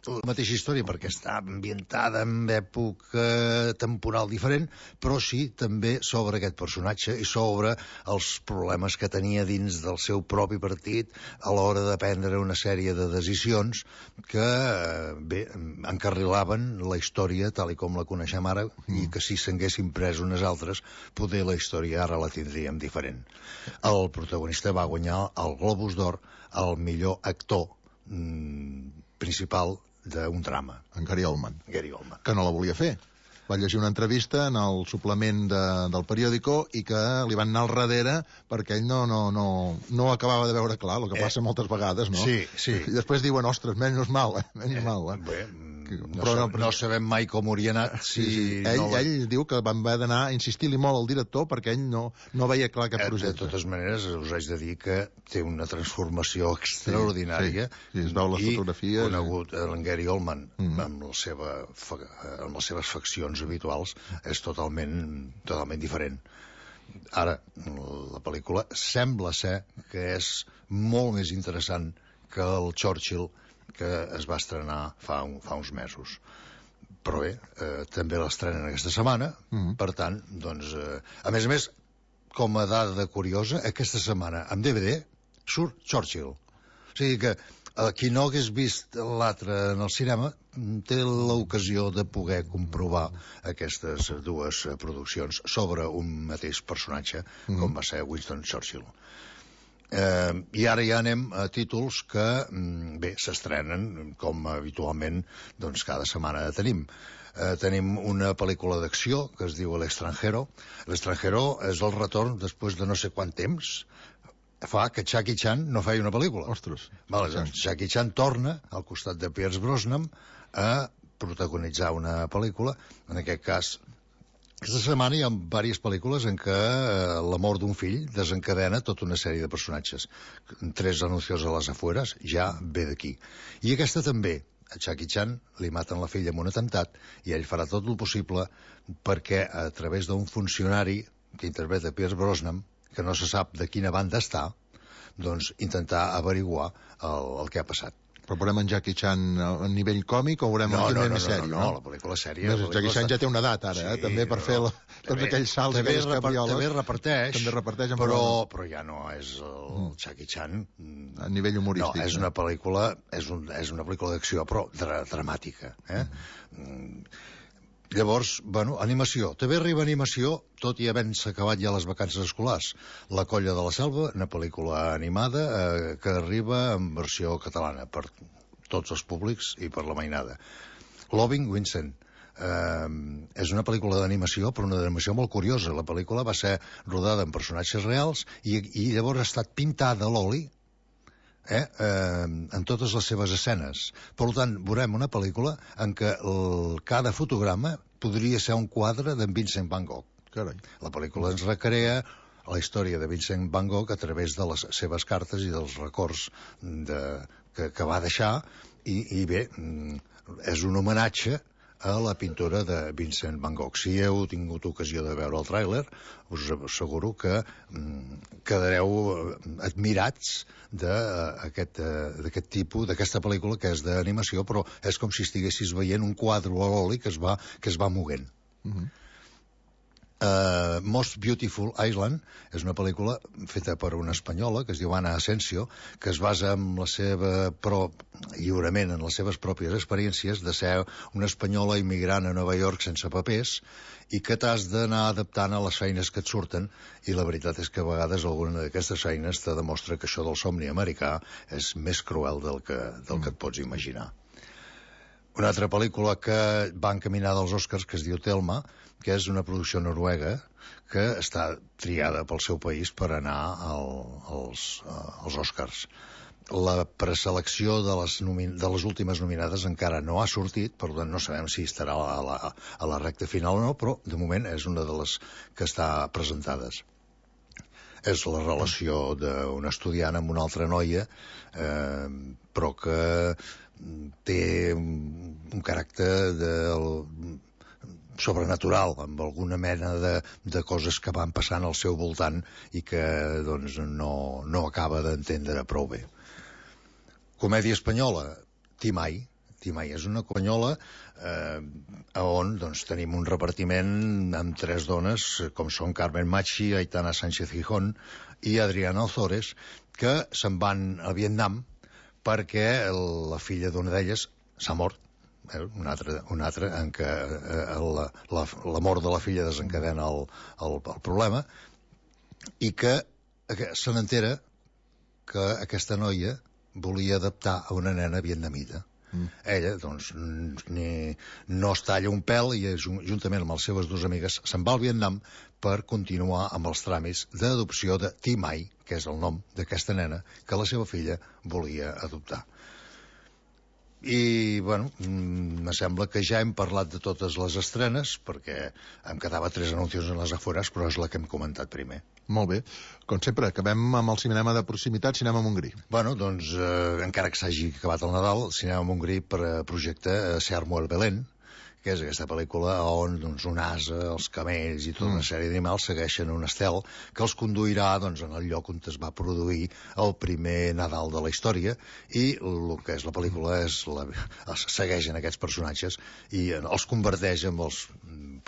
la mateixa història perquè està ambientada en època temporal diferent, però sí també sobre aquest personatge i sobre els problemes que tenia dins del seu propi partit a l'hora de prendre una sèrie de decisions que eh, bé, encarrilaven la història tal i com la coneixem ara mm. i que si s'haguessin pres unes altres poder la història ara la tindríem diferent. El protagonista va guanyar el Globus d'Or al millor actor mm, principal d'un drama. En Gary Oldman. Gary Oldman. Que no la volia fer. Va llegir una entrevista en el suplement de, del periòdico i que li van anar al darrere perquè ell no, no, no, no acabava de veure clar, el que passa eh, moltes vegades, no? Sí, sí. I després diuen, ostres, menys mal, eh? menys eh, mal. Eh? Bé, no, però, no, no sabem mai com hauria anat si... Sí, sí. Ell, no... ell diu que van haver d'anar a insistir-li molt al director perquè ell no, no veia clar aquest projecte. De totes maneres, us haig de dir que té una transformació extraordinària. Sí, sí, sí, es veu les i fotografies. I conegut en Gary Oldman mm. amb, la seva, amb les seves faccions habituals és totalment, totalment diferent. Ara, la pel·lícula sembla ser que és molt més interessant que el Churchill que es va estrenar fa, un, fa uns mesos. Però bé, eh, també l'estrenen aquesta setmana, mm. per tant, doncs, eh, a més a més, com a dada curiosa, aquesta setmana, amb D V D, surt Churchill. O sigui que eh, qui no hagués vist l'altre en el cinema té l'ocasió de poder comprovar aquestes dues produccions sobre un mateix personatge, mm. com va ser Winston Churchill. Eh, I ara ja anem a títols que, bé, s'estrenen com habitualment doncs cada setmana tenim. Eh, tenim una pel·lícula d'acció que es diu L'Extranjero. L'Extranjero és el retorn després de no sé quant temps fa que Jackie Chan no feia una pel·lícula. Ostres. Vale, doncs Jackie Chan torna al costat de Pierce Brosnan a protagonitzar una pel·lícula, en aquest cas. Aquesta setmana hi ha diverses pel·lícules en què eh, la mort d'un fill desencadena tota una sèrie de personatges. Tres anuncios a les afueres ja ve d'aquí. I aquesta també. A Jackie Chan li maten la filla amb un atemptat i ell farà tot el possible perquè a través d'un funcionari que interpreta Pierce Brosnan, que no se sap de quina banda està, doncs intentar averiguar el, el que ha passat. Però veurem en Jackie Chan a nivell còmic o veurem no, en no, nivell no, sèrie? No, no, no, la pel·lícula sèria... No, Jackie Chan ja té una edat, ara, sí, eh? també per no, fer la, tots també, aquells salts, també aquelles cabrioles... També reparteix, també reparteix però, però ja no és el mm. Jackie Chan... A nivell humorístic. No, és una pel·lícula, és, un, és una pel·lícula d'acció, però dra dramàtica. Eh? Mm. Llavors, bueno, animació. També arriba animació, tot i havent-se acabat ja les vacances escolars. La colla de la selva, una pel·lícula animada eh, que arriba en versió catalana per tots els públics i per la mainada. Loving Vincent. Eh, és una pel·lícula d'animació, però una d'animació molt curiosa. La pel·lícula va ser rodada en personatges reals i, i llavors ha estat pintada a l'oli eh, eh, en totes les seves escenes. Per tant, veurem una pel·lícula en què el, cada fotograma podria ser un quadre d'en Vincent Van Gogh. Carai. La pel·lícula ens recrea la història de Vincent Van Gogh a través de les seves cartes i dels records de, que, que va deixar i, i bé, és un homenatge a la pintura de Vincent van Gogh. Si heu tingut ocasió de veure el tràiler, us asseguro que mm, quedareu admirats d'aquest d'aquest tipus, d'aquesta pel·lícula que és d'animació, però és com si estiguessis veient un quadre a l'oli que es va, que es va moguent. Mm-hmm. Uh, Most Beautiful Island és una pel·lícula feta per una espanyola que es diu Ana Asensio, que es basa en la seva pro... lliurement en les seves pròpies experiències de ser una espanyola immigrant a Nova York sense papers i que t'has d'anar adaptant a les feines que et surten, i la veritat és que a vegades alguna d'aquestes feines te demostra que això del somni americà és més cruel del que, del que et pots imaginar. Una altra pel·lícula que va encaminada als Oscars, que es diu Thelma, que és una producció noruega que està triada pel seu país per anar al, als, als Oscars. La preselecció de les, de les últimes nominades encara no ha sortit, per tant no sabem si estarà a la, a la recta final o no, però de moment és una de les que està presentades. És la relació d'un estudiant amb una altra noia, eh, però que té un caràcter de, sobrenatural, amb alguna mena de, de coses que van passant al seu voltant i que doncs, no, no acaba d'entendre prou bé. Comèdia espanyola, Timai. Timai és una espanyola eh, on doncs, tenim un repartiment amb tres dones, com són Carmen Machi, Aitana Sánchez Gijón i Adriana Ozores, que se'n van a Vietnam perquè la filla d'una d'elles s'ha mort, eh, una altra, una altra en què eh, la, la, la mort de la filla desencadena el, el, el problema, i que, que se n'entera que aquesta noia volia adaptar a una nena vietnamita. Mm. Ella, doncs, ni, no es talla un pèl i juntament amb les seves dues amigues se'n va al Vietnam per continuar amb els tràmits d'adopció de Timai, que és el nom d'aquesta nena que la seva filla volia adoptar. I, bueno, me sembla que ja hem parlat de totes les estrenes, perquè em quedava tres anuncis en les afueres, però és la que hem comentat primer. Molt bé. Com sempre, acabem amb el cinema de proximitat, Cinema Montgrí. Bueno, doncs, eh, encara que s'hagi acabat el Nadal, Cinema Montgrí per eh, projecte eh, Se armó el Belén, que és aquesta pel·lícula on doncs, un ase, els camells i tota una sèrie d'animals segueixen un estel que els conduirà doncs, en el lloc on es va produir el primer Nadal de la història, i el que és la pel·lícula és la, segueixen aquests personatges i els converteix en els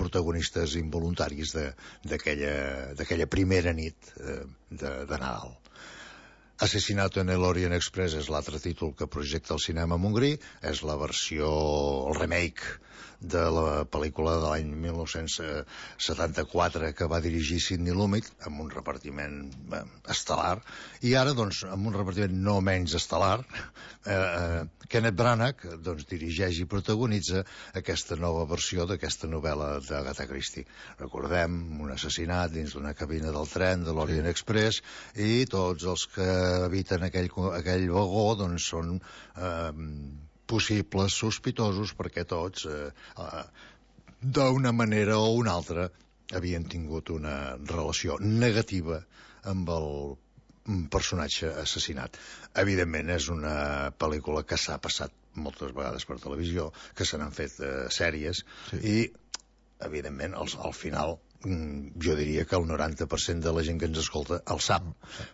protagonistes involuntaris d'aquella primera nit eh, de, de Nadal. Asesinato en el Orient Express és l'altre títol que projecta el Cinema Montgrí, és la versió, el remake de la pel·lícula de l'any mil nou-cents setanta-quatre que va dirigir Sidney Lumet, amb un repartiment eh, estel·lar, i ara, doncs, amb un repartiment no menys estel·lar, eh, eh, Kenneth Branagh doncs, dirigeix i protagonitza aquesta nova versió d'aquesta novel·la d'Agatha Christie. Recordem un assassinat dins d'una cabina del tren de l'Orient Express, i tots els que habiten aquell, aquell vagó doncs, són eh, possibles sospitosos, perquè tots, eh, eh, d'una manera o una altra, havien tingut una relació negativa amb el personatge assassinat. Evidentment, és una pel·lícula que s'ha passat moltes vegades per televisió, que se n'han fet eh, sèries, sí. I, evidentment, al, al final, jo diria que el noranta per cent de la gent que ens escolta el sap,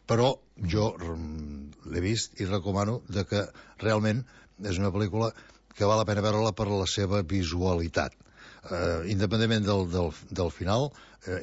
però jo l'he vist i recomano de que realment és una pel·lícula que val la pena veure-la per la seva visualitat. Eh, independentment del, del, del final, eh,